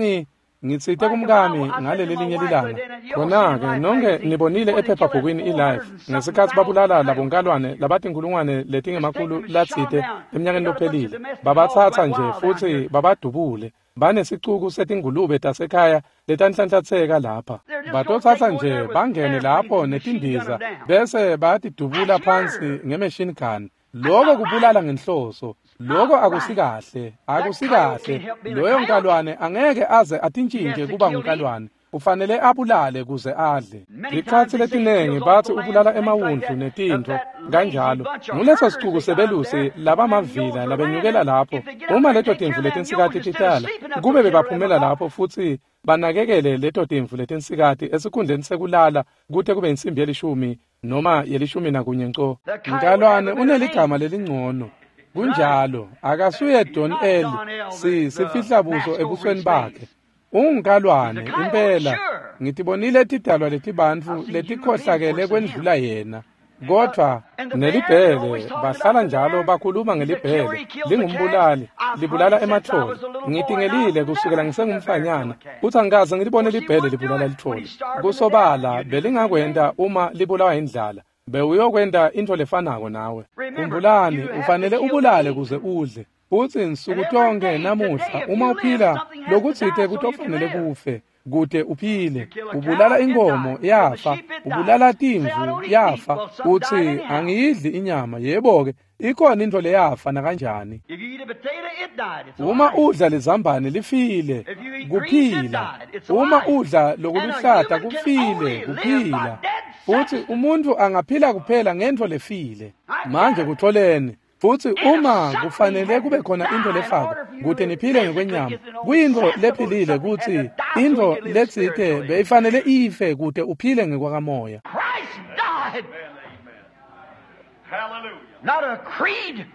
ngitsite kumkami ngaleli linye lilanga. Khona-ke nonke nibonile ephephabhukwini iLife ngesikhatsi babulala labonkalwane labatinkulungwane letingemakhulu latsite eminyakeni lophelile. Babatsatsa nje futsi babadubule. Banesicuku setingulube tasekhaya letanhlanhlatseka lapha. Batotsatsa nje bangene lapho netindiza bese bayatidubula phansi nge-machine gun. Lokho kubulala ngenhloso. Lokho akusikahle, akusikahle. Loyo nkalwane angeke aze atintshintshe kuba ngunkalwane. Ufanele abulale kuze adle. Tikhatsi letinengi bathi ubulala emawundlu netintfo kanjalo. Nguleso sicuku sebelusi labamavila labenyukela lapho. Uma leto timvu letinsikati titala, kube bebaphumela lapho futsi banakekele leto timvu letinsikati esikhundleni sekulala kute kube insimbi yelishumi noma 11 nco. Nkalwane uneligama lelingcono. Kunjalo, akasuye Don L. Sifihlabuso ebusweni bakhe. Unginkalwane impela. Ngitibonile tidalwa letibantfu letikhohlakele kwendlula yena. Kodvwa nelibhele bahlala njalo bakhuluma ngelibhele lingumbulali, libulala emathole. Ngitingelile kusukela ngisengumfanyana kutsi angikaze ngilibone libhele libulala lithole. Kusobala belingakwenta uma libulawa indlala. Bewuyokwenta intfo lefanako nawe. Khumbulani, ufanele ubulale kuze udle. Futsi nsuku tonke namuhla uma uphila lokutsite kutofanele kufe kute uphile. Ubulala inkomo yafa, ubulala timvu yafa. Utsi angiyidli inyama, yebo-ke ikhona intfo leyafa nakanjani. Uma udla lizambane lifile, kuphila. Uma udla lokuluhlata kufile, kuphila. Futsi umuntfu angaphila kuphela ngentfo lefile. Manje kutholeni. Futsi uma kufanele kube khona intfo lefako kute niphile ngekwenyama, kuyintfo lephilile kutsi intfo letsite beyifanele ife kute uphile ngekwakamoya. Christ died. Not a creed,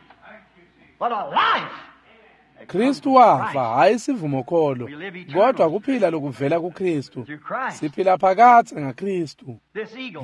but a life. Kristu wafa, hhayi sivumokholo, kodwa kuphila lokuvela kuKristu. Siphila phakadze ngaKristu.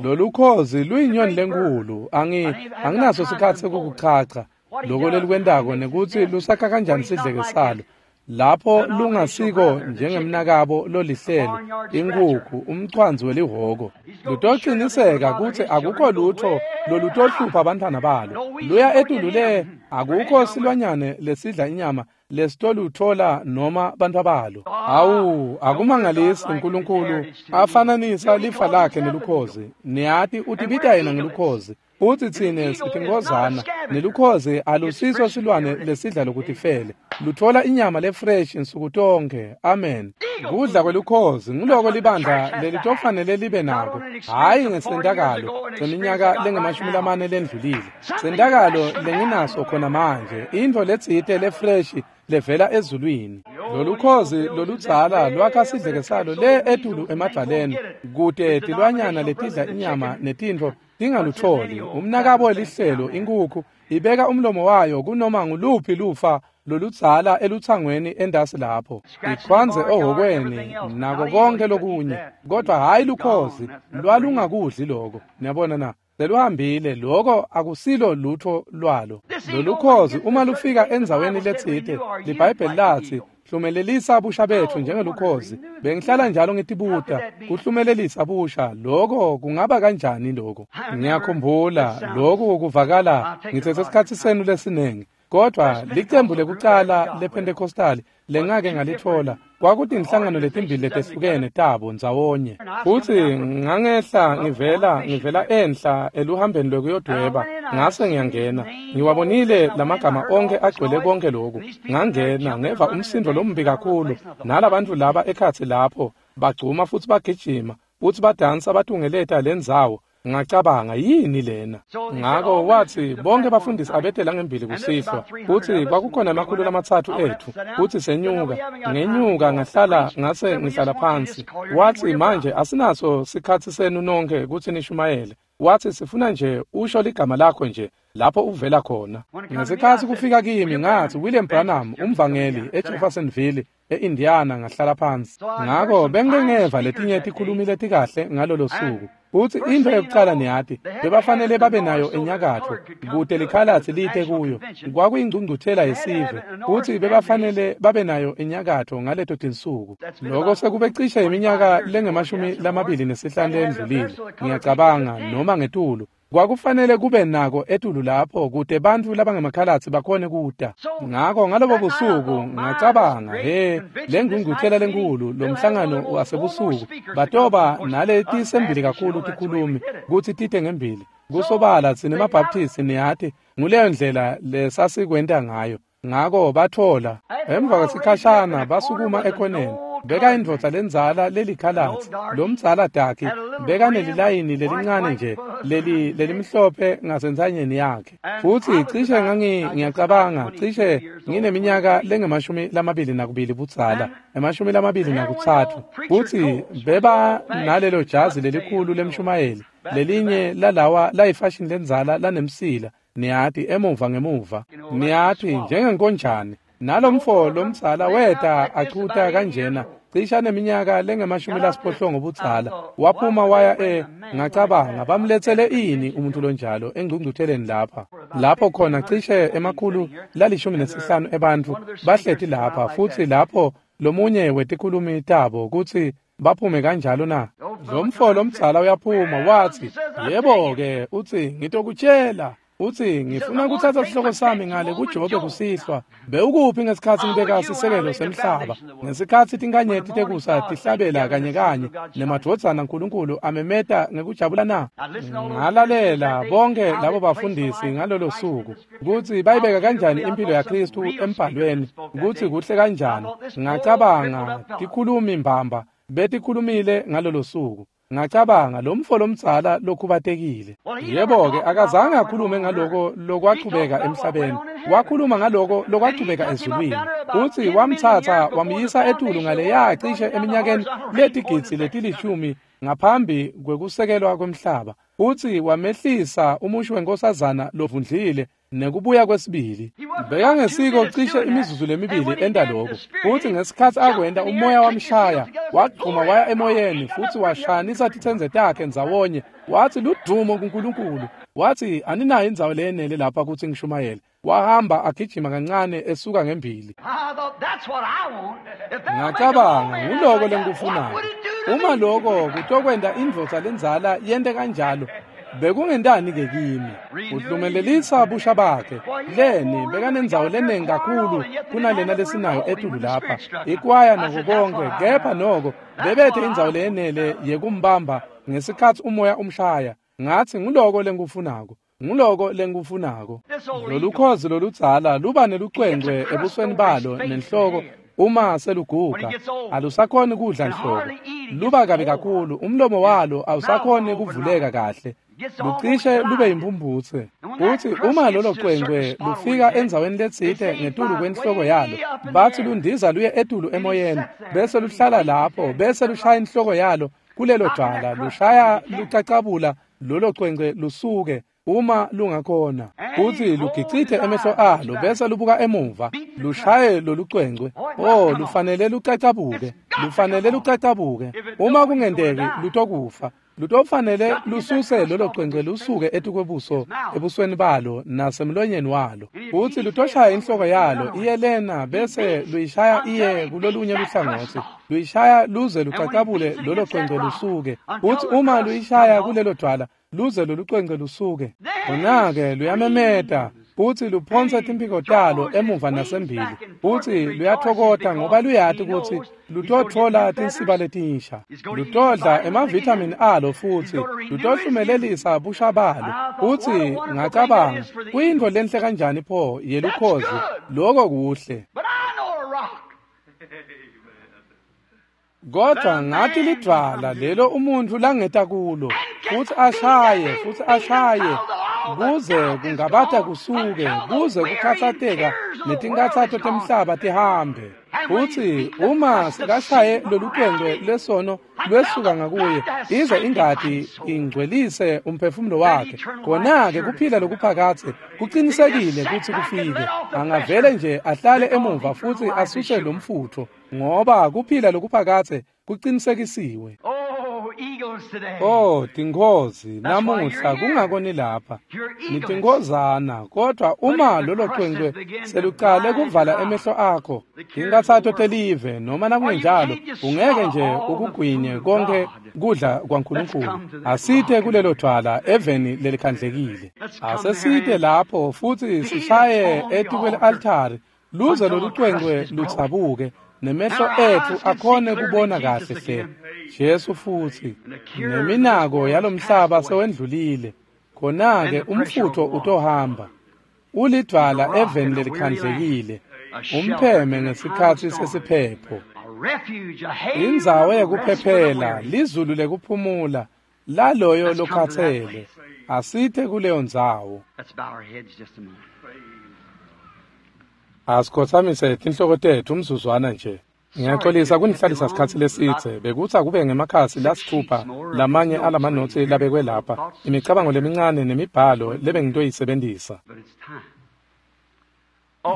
Lolukhozi luyinyoni lenkhulu. Anginaso sikhatsi sekukuchacha loko lelikwentako nekutsi lusakha kanjani sidleke salo. Lapho lungasiko njengemnakabo lolihlelo, inkhukhu, umchwanzi welihhoko. Lutociniseka kutsi akukho lutfo lolutohlupha bantfwana balo. Luya etulu le, akukho silwanyane lesidla inyama lesitolutfola noma bantfwabalo. Awu, akumangalisi uNkulunkulu afananisa lifa lakhe nelukhozi. Niyati utibita yena ngelukhozi. Futsi tsine sitinkhozana, nelukhozi alusiso silwane lesidla lokutifele. Lutfola inyama lefresh nsuku tonkhe. Amen. Kudla kwelukhozi nguloko libandla lelitofanele libe nako, hhayi ngesentakalo seminyaka lengama-40 lendlulile. Sentakalo lenginaso khona manje, intfo letsite lefresh levela ezulwini. Lolukhozi loludzala lwakha sidleke salo le etulu emadvwaleni kute tilwanyana letidla inyama netintfo tingalutholi. Umnakabo lihlelo inkhukhu ibeka umlomo wayo kunoma nguluphi lufa loludzala elutsangweni endasi lapho, ikhwanze ehhokweni nako konke lokunye, kodwa hhayi lukhozi lwalungakudli loko. Niyabona na? Seluhambile, loko akusilo lutfo lwalo. Lolukhozi uma lufika endzaweni letsite, liBhayibheli latsi hlumelelisa busha betfu njengelukhozi. Bengihlala njalo ngitibuta, kuhlumelelisa busha loko kungaba kanjani loko? Ngiyakhumbula loku kuvakala ngitsetse sikhatsi senu lesinengi, kodwa licembu lekucala lePentecostal lengake ngalitfola kwakutinhlangano letimbili letehlukene tabo ndzawonye. Futsi ngangehla ngivela enhla eluhambeni lwekuyodweba, ngase ngiyangena. Ngiwabonile lamagama onke agcwele konke loku. Ngangena ngeva umsindo lombi kakhulu, nalabantfu laba ekhatsi lapho bagcuma futsi bagijima futsi badansa batungeleta lendzawo. Ngacabanga, yini lena? Ngako wathi bonke bafundisi abetela ngembili kusihlwa, futsi kwakukhona 300 ethu, futsi senyuka. Ngenyuka ngahlala ngase ngihlala phansi. Wathi manje asinaso sikhatsi senu nonke kutsi nishumayele. Wathi sifuna nje usho ligama lakho nje lapho uvela khona. Ngesikhatsi kufika kimi ngathi William Branham, umvangeli eJeffersonville, e-Indiana. Ngahlala phansi. Ngako bengingeva letinye tikhulumi letikahle ngalolo suku. Futsi intfo yekucala niyati, bebafanele babe nayo enyakatfo kute likhalatsi lite kuyo. Kwakuyingcungcuthela yesive, futsi bebafanele babe nayo enyakatfo ngaleto tinsuku. Loko sekube cishe iminyaka lengama-25 lendlulile, ngiyacabanga, noma ngetulu. Kwakufanele kube nako etulu lapho kute bantfu labangemakhalatsi bakhone kuta. Ngako ngalobo busuku ngacabanga, he, lengqungquthela lenkulu, lomhlangano wasebusuku, batoba naletisembili kakhulu tikhulumi kutsi tite ngembili. Kusobala tsine maBaptisti niyati nguleyo ndlela lesasikwenta ngayo. Ngako batfola emva kwesikhashana basukuma ekhoneni. Beka indvodza lendzala lelikhalatsi, lomdzala Daki, beka nelilayini lelincane nje lelimhlophe ngasentsanyeni yakhe. Futsi cishe ngiyacabanga cishe ngineminyaka lengama-22 budzala, 23. Futsi beba nalelo jazi lelikhulu lemshumayeli, lelinye lalawa layifashini lendzala lanemsila, niyati, emuva ngemuva, niyati, njengenkonjane. Nalomfo lomdzala weta achuta kanjena, cisha neminyaka lengama-80 budzala, waphuma waya ngacabanga bamletsele ini umuntu lonjalo engqungqutheleni lapha, lapho khona cishe 115 ebantfu bahleti lapha, futsi lapho lomunye wetikhulumi tabo kutsi baphume kanjalo na. Lomfo lomdzala uyaphuma wathi, yebo-ke, utsi ngitokutshela. Utsi ngifuna kuthatha sihloko sami ngale kuJobe kusihlwa. Bewukuphi ngesikhatsi ngibeka sisekelo semhlaba, ngesikhatsi tinkanyeti tekusa tihlabela kanye kanye nemadvodzana aNkulunkulu amemeta ngekujabula na? Ngalalela bonke labo bafundisi ngalolo suku kutsi bayibeka kanjani impilo yaKristu embhalweni, kutsi kuhle kanjani. Ngacabanga tikhulumi mbamba betikhulumile ngalolo suku. Ngacabanga lomfo lomdzala lokhubatekile. Yebo-ke, akazange akhulume ngaloko lokwachubeka emhlabeni, wakhuluma ngaloko lokwachubeka ezulwini. Utsi wamtsatsa wamyisa etulu ngaleya cishe eminyakeni letigidzi leti-10 ngaphambi kwekusekelwa kwemhlaba. Utsi wamehlisa umushi wenkosazana lovundlile nekubuya kwesibili. Bekangesiko cishe imizuzu lemibili enta lokho. Futsi ngesikhatsi akwenta umoya wamshaya, wagxuma waya emoyeni futsi washanisa titsendze takhe ndzawonye. Watsi ludumo kuNkulunkulu. Watsi aninayo indzawo leyenele lapha kutsi ngishumayele. Wahamba agijima kancane esuka ngembili. Ngacabanga nguloko lengikufunayo. Uma lokho kutokwenta indvodza lendzala yente kanjalo, bekungentani ke kimi? Uhlumelelisa busha bakhe. Leni bekanendzawo lenengi kakhulu kunalena lesinayo etulu lapha, ikwaya nako konke, kepha noko bebethe indzawo leyenele yekumbamba ngesikhatsi umoya umshaya. Ngatsi nguloko lengikufunako, nguloko lengikufunako. Lolukhozi loludzala luba nelucwengcwe ebusweni balo nenhloko uma seluguga, alusakhoni kudla nhlobo, luba kabi kakhulu, umlomo walo awusakhoni kuvuleka kahle, lucishe lube yimpumputse. Futsi uma lolo cwengcwe lufika endzaweni letsite ngetulu kwenhloko yalo, batsi lundiza luye etulu emoyeni, bese luhlala lapho, bese lushaya inhloko yalo kulelo dvwala, lushaya lucacabula lolo cwengcwe lusuke uma lungakhona. Futsi lugicithe emehlo alo bese lubuka emuva, lushaye lolucwengcwe. Oh, lufanele lucacabuke, lufanele lucacabuke. Uma kungenteki lutokufa. Lutofanele lususe lolo cwengcwe lusuke etukwebuso ebusweni balo nasemlonyeni walo. Futsi lutoshaya inhloko yalo iye lena bese luyishaya iye kulolunye luhlangotsi. Luyishaya luze lucacabule lolo cwengcwe lusuke. Futsi uma luyishaya kulelo dvwala luze lolucwengcwe lusuke, khona-ke luyamemeta futsi luphonsa timphiko talo emuva nasembili. Futsi luyathokota ngoba luyati kutsi lutotfola tinsiba letinsha, lutodla emavithamini alo futsi lutohlumelelisa busha balo. Futsi ngacabanga kuyintfo lenhle kanjani pho yelukhozi, loko kuhle. Kodwa ngathi lidvwala lelo umuntfu langeta kulo futsi ashaye futhi ashaye kuze kungabata kusuke, kuze kukhatsateka netinkhatsato temhlaba tihambe. Futsi uma sekashaye lolucwengcwe lesono lwesuka ngakuye, ize ingati ingcwelise umphefumulo wakhe, khona-ke kuphila lokuphakadze kucinisekile kutsi kufike. Angavele nje ahlale emuva futsi asuse lomfutfo, ngoba kuphila lokuphakadze kucinisekisiwe. Oh, tinkhozi namuhla kungakoni lapha. Nitinkhozana, kodwa uma lolo cwencwe selucale kuvala emehlo akho, tinkhatsato telive noma nakungenjalo, ungeke nje ukugwinye konke kudla kwaNkulunkulu. Asite kulelo dwala eveni lelikhandlekile. Asesite lapho futhi sishaye etukweli-altari luze lolu cwencwe lutsabuke nemehlo ethu akhone kubona kahle hle Jesu futhi neminako yalomhlaba sewendlulile. Khona-ke umfutho utohamba ulidwala eveni lelikhandlekile, umpheme ngesikhatsi sesiphepho, indzawo yekuphephela, lizulu lekuphumula laloyo lokhathele. Asite kuleyo ndzawo. Asikhothamise tinhloko tethu umzuzwana nje. Ngiyaxolisa kunihlalisa sikhatsi lesidze, bekutsi akube ngemakhasi lasithupha lamanye alamanotsi labekwe lapha, imicabango lemincane nemibhalo lebengitoyisebentisa.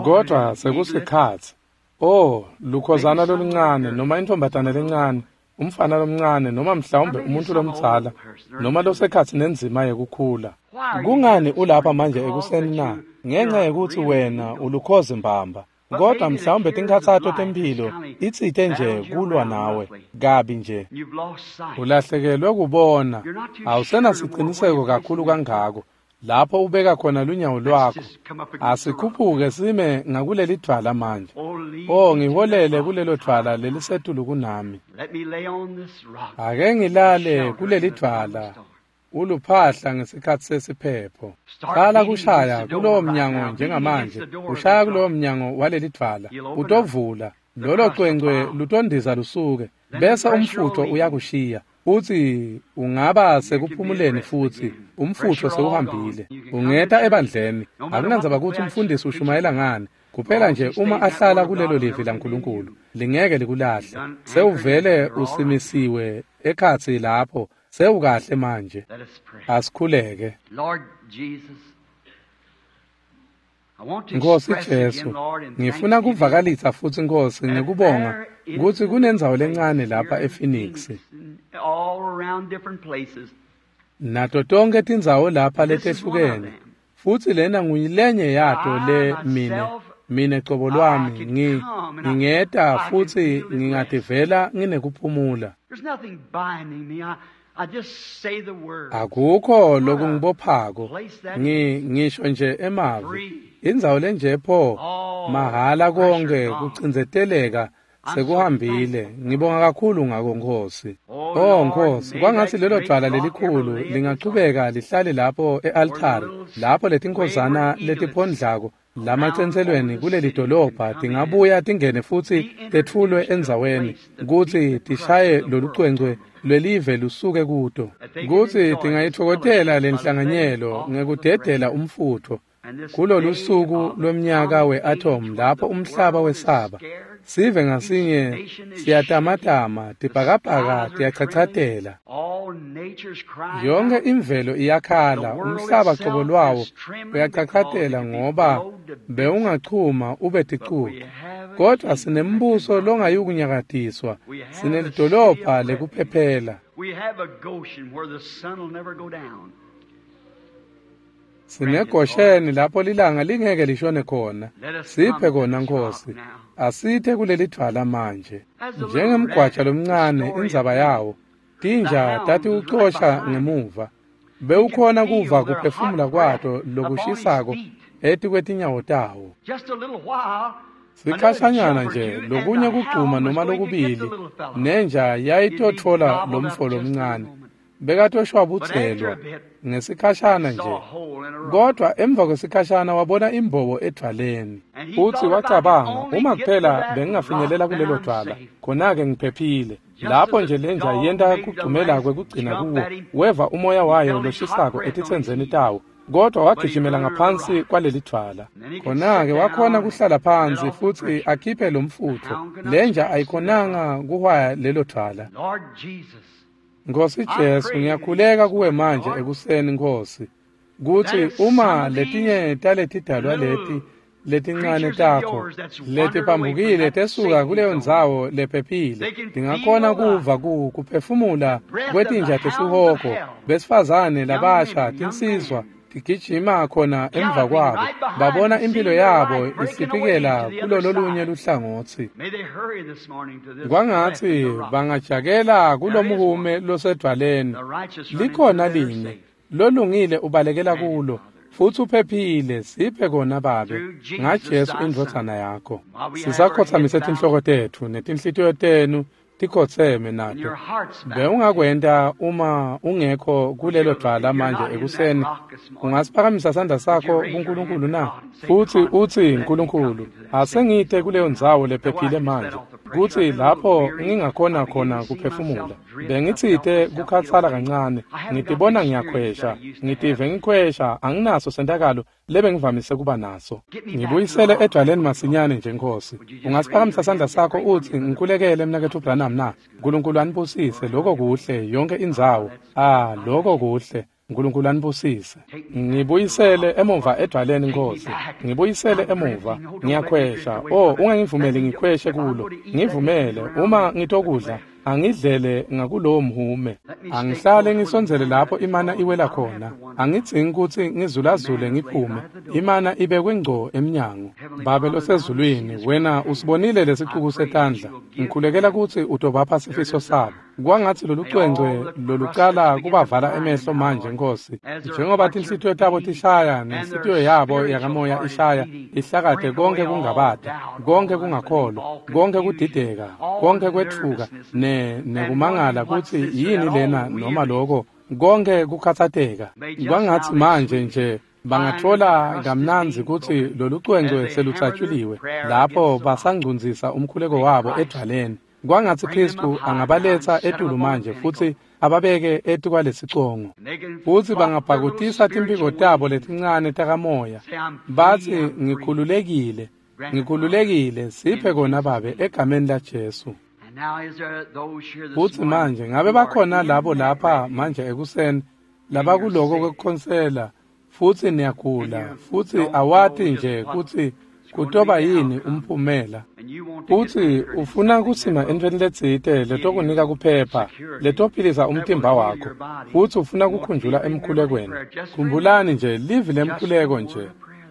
Kodwa sekusikhatsi. Oh, lukhozana loluncane noma intfombatana lencane, umfana lomncane noma mhlawumbe umuntu lomdzala noma losekhatsi nenzima yekukhula. Kungani ulapha manje ekuseni na? Ngenxa yekutsi wena ulukhozi mbamba. Kodwa mhlawumbe tinkhatsato temphilo itsite nje kulwa nawe kabi nje. Ulahlekelwe kubona, awusenasiciniseko kakhulu kangako lapho ubeka khona lunyawo lwakho. Asikhuphuke sime ngakuleli dvwala manje. Oh, ngiholele kulelo dvwala lelisetulu kunami. Ake ngilale kuleli dvwala uluphahla ngesikhatsi sesiphepho. Cala kushaya kulowo mnyango njengamanje, ushaya kulowo mnyango waleli dvwala, utovula lolo cwencwe lutondiza lusuke, bese umfutho uyakushiya. Uthi ungaba sekuphumuleni futhi umfutho sewuhambile. Ungeta ebandleni, akunandzaba kutsi umfundisi ushumayela ngani, kuphela nje uma ahlala kulelo livi laNkulunkulu lingeke likulahle. Sewuvele usimisiwe ekhatsi lapho, sewukahle manje. Asikhuleke. Nkosi Jesu, ngifuna kuvakalisa futsi Nkosi ngikubonga kutsi kunendzawo lencane lapha ePhoenix nato tonke tindzawo lapha letehlukene, futsi lena nguyilenye yato le mine cobo lwami ngingeta futhi ngingativela nginekuphumula. Akukho lokungibophako, ngisho nje emavi. Indzawo lenje pho mahala konke kucindzeteleka sekuhambile. Ngibonga kakhulu ngako Nkosi. Oh Nkosi, kwangatsi lelo dvwala lelikhulu lingachubeka lihlale lapho e-altari, lapho letinkhozana letiphondlako lamacenselweni kuleli dolobha tingabuya tingene futsi tetfulwe endzaweni kutsi tishaye lolucwencwe lwelive lusuke kuto, kutsi tingayitfokotela lenhlanganyelo ngekudedela umfutho kulolu suku lwemnyaka we-atom lapho umhlaba wesaba. Sive ngasinye siyatamatama, tibhakabhaka tiyachachatela, yonke imvelo iyakhala, umhlaba cobo lwawo uyachachatela ngoba bewungachuma ube ticucu. Kodwa sinembuso longayukunyakatiswa, sinelidolobha lekuphephela, sinegosheni lapho lilanga lingeke lishone khona. Siphe kona Nkosi, asithe kuleli dvwala manje. Njengemgwaja lomncane indzaba yawo, tinja tatiwucosha ngemuva, bewukhona kuva kuphefumula kwato lokushisako etikwetinyawo tawo. Sikhashanyana nje lokunye kugcuma noma lokubili, nenja yayitotfola lomfo lomncane bekatoshwabudzelwa ngesikhashana nje. Kodwa emva kwesikhashana wabona imbobo edvwaleni, futsi wacabanga, uma kuphela bengingafinyelela kulelo dvwala, khona-ke ngiphephile. Lapho nje lenja yenta kugcumela kwekugcina kuwo, weva umoya wayo loshisako etitsendzeni tawo, kodwa wagijimela ngaphansi kwaleli dvwala. Khona-ke wakhona kuhlala phansi futsi akhiphe lo mfutho. Lenja ayikhonanga kuhwaya lelo dvwala. Nkosi Jesu, ngiyakhuleka kuwe manje ekuseni Nkosi, kutsi uma letinye taletidalwa leti letincane takho letiphambukile tesuka kuleyo ndzawo lephephile, tingakhona kuva kuphefumula kwetinja tesihogo, besifazane labasha, tinsizwa tigijima khona emva kwabo, babona impilo yabo isipikela kulololunye luhlangotsi. Kwangatsi bangajakela kulomhume losedvwaleni. Likhona linye lolungile ubalekela kulo, futsi uphephile. Siphe kona Babe, ngaJesu indvodzana yakho. Sisakhotsamise tinhloko tetfu netinhlitiyo tenu tikhotseme nato. Bewungakwenta uma ungekho kulelo dvwala manje ekuseni, ungasiphakamisa sandla sakho kuNkulunkulu na? Futsi utsi, Nkulunkulu, asengite kuleyo ndzawo lephephile manje, kutsi lapho ngingakhona khona kuphefumula. Bengitsite kukhatsala kancane, ngitibona ngiyakhwesha, ngitive ngikhwesha, anginaso sentakalo lebengivamise kuba naso. Ngibuyisele edvwaleni masinyane nje, Nkosi. Ungasiphakamisa sandla sakho utsi, ngikhulekele mnaketfu Branham na? Nkulunkulu anibusise, lokho kuhle, yonke indzawo. Lokho kuhle. Nkulunkulu anibusise. Ngibuyisele emuva edvwaleni, Nkosi. Ngibuyisele emuva. Ngiyakhwesha. Oh, ungangivumeli ngikhweshe kulo. Ngivumele uma ngitokudla, angidlele ngakulowo mhume. Angihlale ngisondzele lapho imana iwela khona. Angidzingi kutsi ngizulazule ngiphume. Imana ibekwe ngco emnyango. Babe losezulwini, wena usibonile lesicuku setandla. Ngikhulekela kutsi utobapha sifiso sabo. Kwangatsi lolucwencwe lolucala kubavala emehlo manje, Nkosi, njengoba tinhlitiyo tabo tishaya nenhlitiyo yabo yakamoya ishaya, ihlakate konke kungabata, konke kungakholwa, konke kudideka, konke kwetfuka nekumangala kutsi yini lena noma lokho, konke kukhatsateka. Kwangatsi manje nje bangatfola kamnandzi kutsi lolucwencwe selutsatshuliwe lapho basangcundzisa umkhuleko wabo edvwaleni. Kwangatsi Khristu angabaletsa etulu manje futsi ababeke etikwalesicongo, futsi bangabhakutisa timphiko tabo letincane takamoya, batsi, ngikhululekile, ngikhululekile. Siphe kona Babe, egameni laJesu. Futsi manje ngabe bakhona labo lapha manje ekuseni labakuloko kwekukhonsela, futsi niyagula, futsi awati nje kutsi kutoba yini umphumela, futsi ufuna kusima entweni letsite letokunika kuphepha, letophilisa umtimba wakho, futsi ufuna kukhunjula emkhulekweni. Khumbulani nje livi lemkhuleko nje,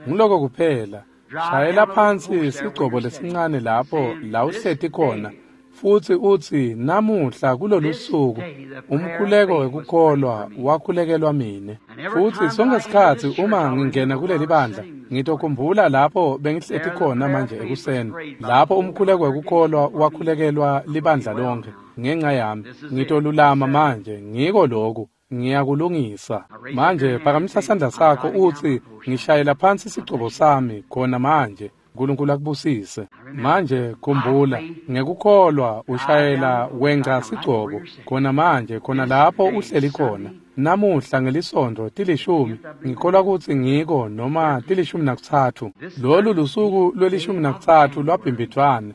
nguloko kuphela. Shayela phansi sigcobo lesincane lapho la uhleti khona, futsi utsi, namuhla kulolusuku umkhuleko wekukholwa wakhulekelwa mine. Futsi sonke sikhatsi uma ngingena kuleli bandla, ngitokhumbula lapho bengihleti khona manje ekuseni, lapho umkhuleko wekukholwa wakhulekelwa libandla lonke ngenxa yami. Ngitolulama manje, ngiko lokhu, ngiyakulungisa. Manje phakamisa sandla sakho utsi, ngishayela phansi sigcobo sami khona manje. Nkulunkulu akubusise. Manje khumbula, ngekukholwa ushayela wenca sigcobo khona manje, khona lapho uhleli khona. Namuhla ngelisonto 10, ngikholwa kutsi ngiko noma 13. Lolu lusuku lwe-13 lwaBhimbidvwane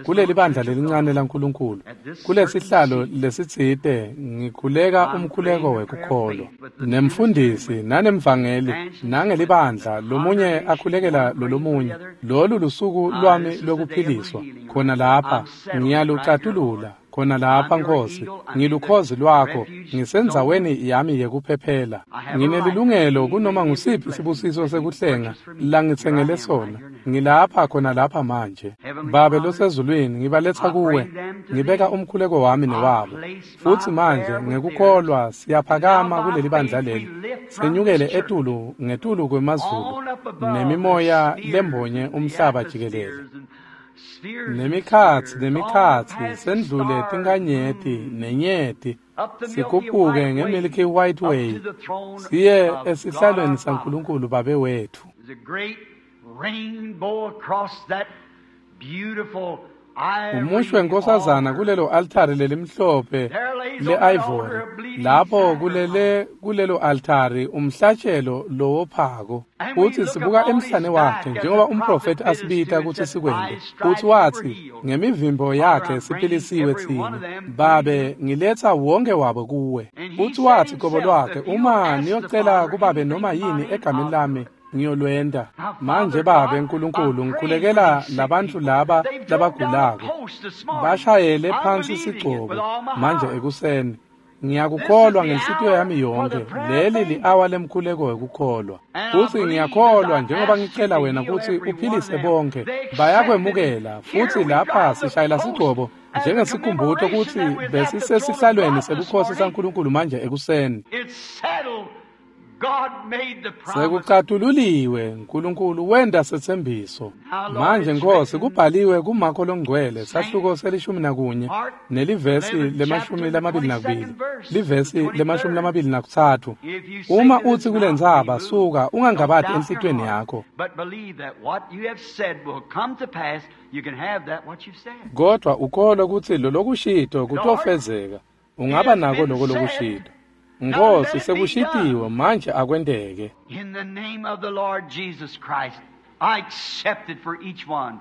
kuleli bandla lelincane laNkulunkulu. Kulesihlalo lesitsite ngikhuleka umkhuleko wekukholwa. Nemfundisi nanemvangeli nangelibandla lomunye akhulekela lolomunye. Lolu lusuku lwami lokuphiliswa. Khona lapha ngiyalucatulula. Khona lapha, Nkosi, ngilukhozi lwakho, ngisendzaweni yami yekuphephela. Nginelilungelo kunoma ngusiphi sibusiso sekuhlenga langitsengele sona. Ngilapha khona lapha manje. Babe losezulwini, ngibaletsa kuwe, ngibeka umkhuleko wami newabo. Futsi manje ngekukholwa siyaphakama kuleli bandla leli, senyukele etulu ngetulu kwemazulu nemimoya lembonye umhlaba jikelele. Nemikhatsi nemikhatsi sendlule tinkanyeti nenyeti, sikhuphuke ngeMilky White Way siye esihlalweni saNkulunkulu Babe wethu. Umushwe nkosazana kulelo altari lelimhlophe le-ivory, lapho kulele kulelo altari umhlatshelo lowophako. Futsi sibuka emhlane wakhe njengoba umprofeti asibita kutsi sikwente. Futsi watsi, ngemivimbo yakhe siphilisiwe tsine. Babe, ngiletsa wonke wabo kuwe. Futsi watsi qobo lwakhe, uma niyocela kubabe noma yini egameni lami, ngiyolwenta. Manje Babe Nkulunkulu, ngikhulekela labantfu laba labagulako. Bashayele phansi sigcobo manje ekuseni. Ngiyakukholwa ngenhlitiyo yami yonke. Leli li-awa lemkhuleko wekukholwa. Futsi ngiyakholwa njengoba ngicela wena kutsi uphilise bonke. Bayakwemukela futsi lapha sishayela sigcobo njengesikhumbuto kutsi besisesihlalweni sebukhosi saNkulunkulu manje ekuseni. Sekucatululiwe, Nkulunkulu wenta setsembiso. Manje Nkosi, kubhaliwe kuMakho longcwele, sahluko se-11 nelivesi le-22, livesi le-23. Uma utsi kulentsaba, suka, ungangabati enhlitiyweni yakho, kodwa ukholwe kutsi lolokushito kutofezeka, ungaba nako loko lokushito. Nkosi, sekushitiwe, manje akwenteke. In the name of the Lord Jesus Christ, I accept it for each one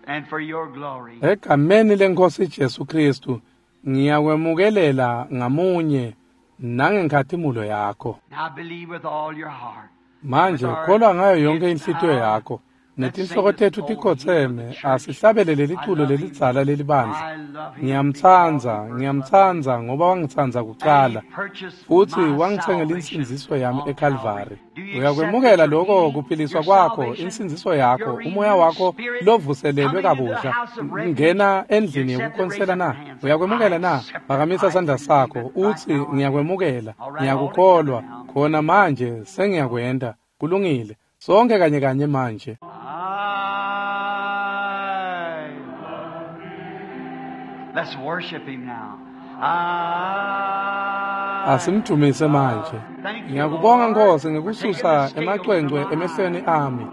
and for your glory. Egameni leNkosi Jesu Kristu, ngiyakwemukelela ngamunye nangenkhatimulo yakho. Now believe with all your heart. Manje kholwa ngayo yonke inhlitiyo yakho. Netinhloko tetfu tikhotseme, asihlabele leliculo lelidzala lelibandla. Ngiyamtsandza, ngiyamtsandza ngoba wangitsandza kucala, futsi wangitsengela insindziso yami eKalvari. Uyakwemukela loko kuphiliswa kwakho, insindziso yakho, umoya wakho lovuselelwe kabusha, ngena endlini yekukhonsela na? Uyakwemukela na? Phakamisa sandla sakho, utsi ngiyakwemukela, ngiyakukholwa, khona manje sengiyakwenta. Kulungile. Sonke kanye kanye manje. Let's worship him now. Asimdumise manje. Ngiyakubonga Nkosi ngekususa emacwengcwe emehlweni ami.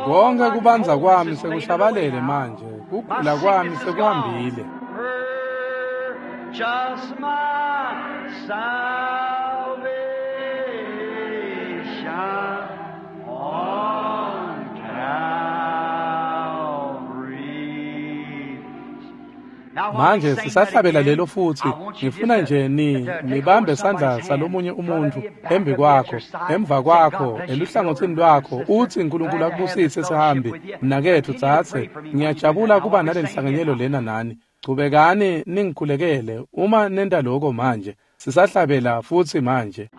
Konke kubanza kwami sekushabalele manje, kugula kwami sekuhambile. Just my salvation on Calvary. Manje sisahlabela lelo futsi, ngifuna nje nibambe sandla salomunye umuntu embi kwakho, emva kwakho, eluhlangothini lwakho, utsi Nkulunkulu akubusise sihambi, mnaketfu tsatse, ngiyajabula kuba nalenhlanganyelo lena nani. Chubekani ningikhulekele uma nenta lokho manje. Sisahlabela futsi manje.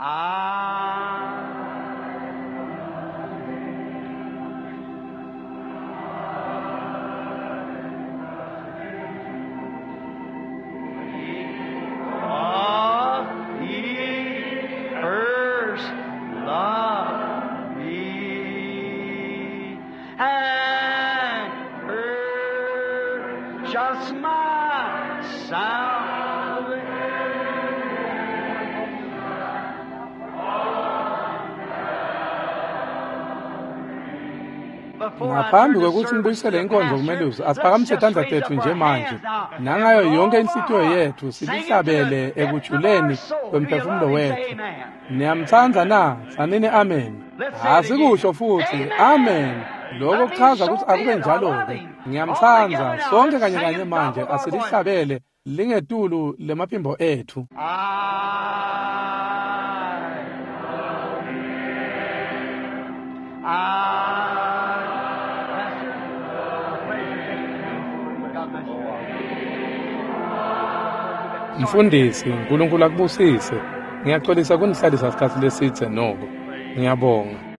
He first loved me and purchased my salvation. Ngaphambi kwekutsi ngibuyisele inkonzo kumelusi, asiphakamise tandla tetfu nje manje, nangayo yonke inhlitiyo yetfu silihlabele ekujuleni kwemphefumulo wetfu. Niyamtsandza na? Tsanini amen. Asikusho futsi amen. Lokho kuchaza kutsi akube njalo-ke. Ngiyamtsandza sonke kanye kanye manje, asilihlabele lingetulu lemaphimbo etfu. Mfundisi, Nkulunkulu akubusise. Ngiyaxolisa kunihlalisa isikhatsi lesidze noko. Ngiyabonga.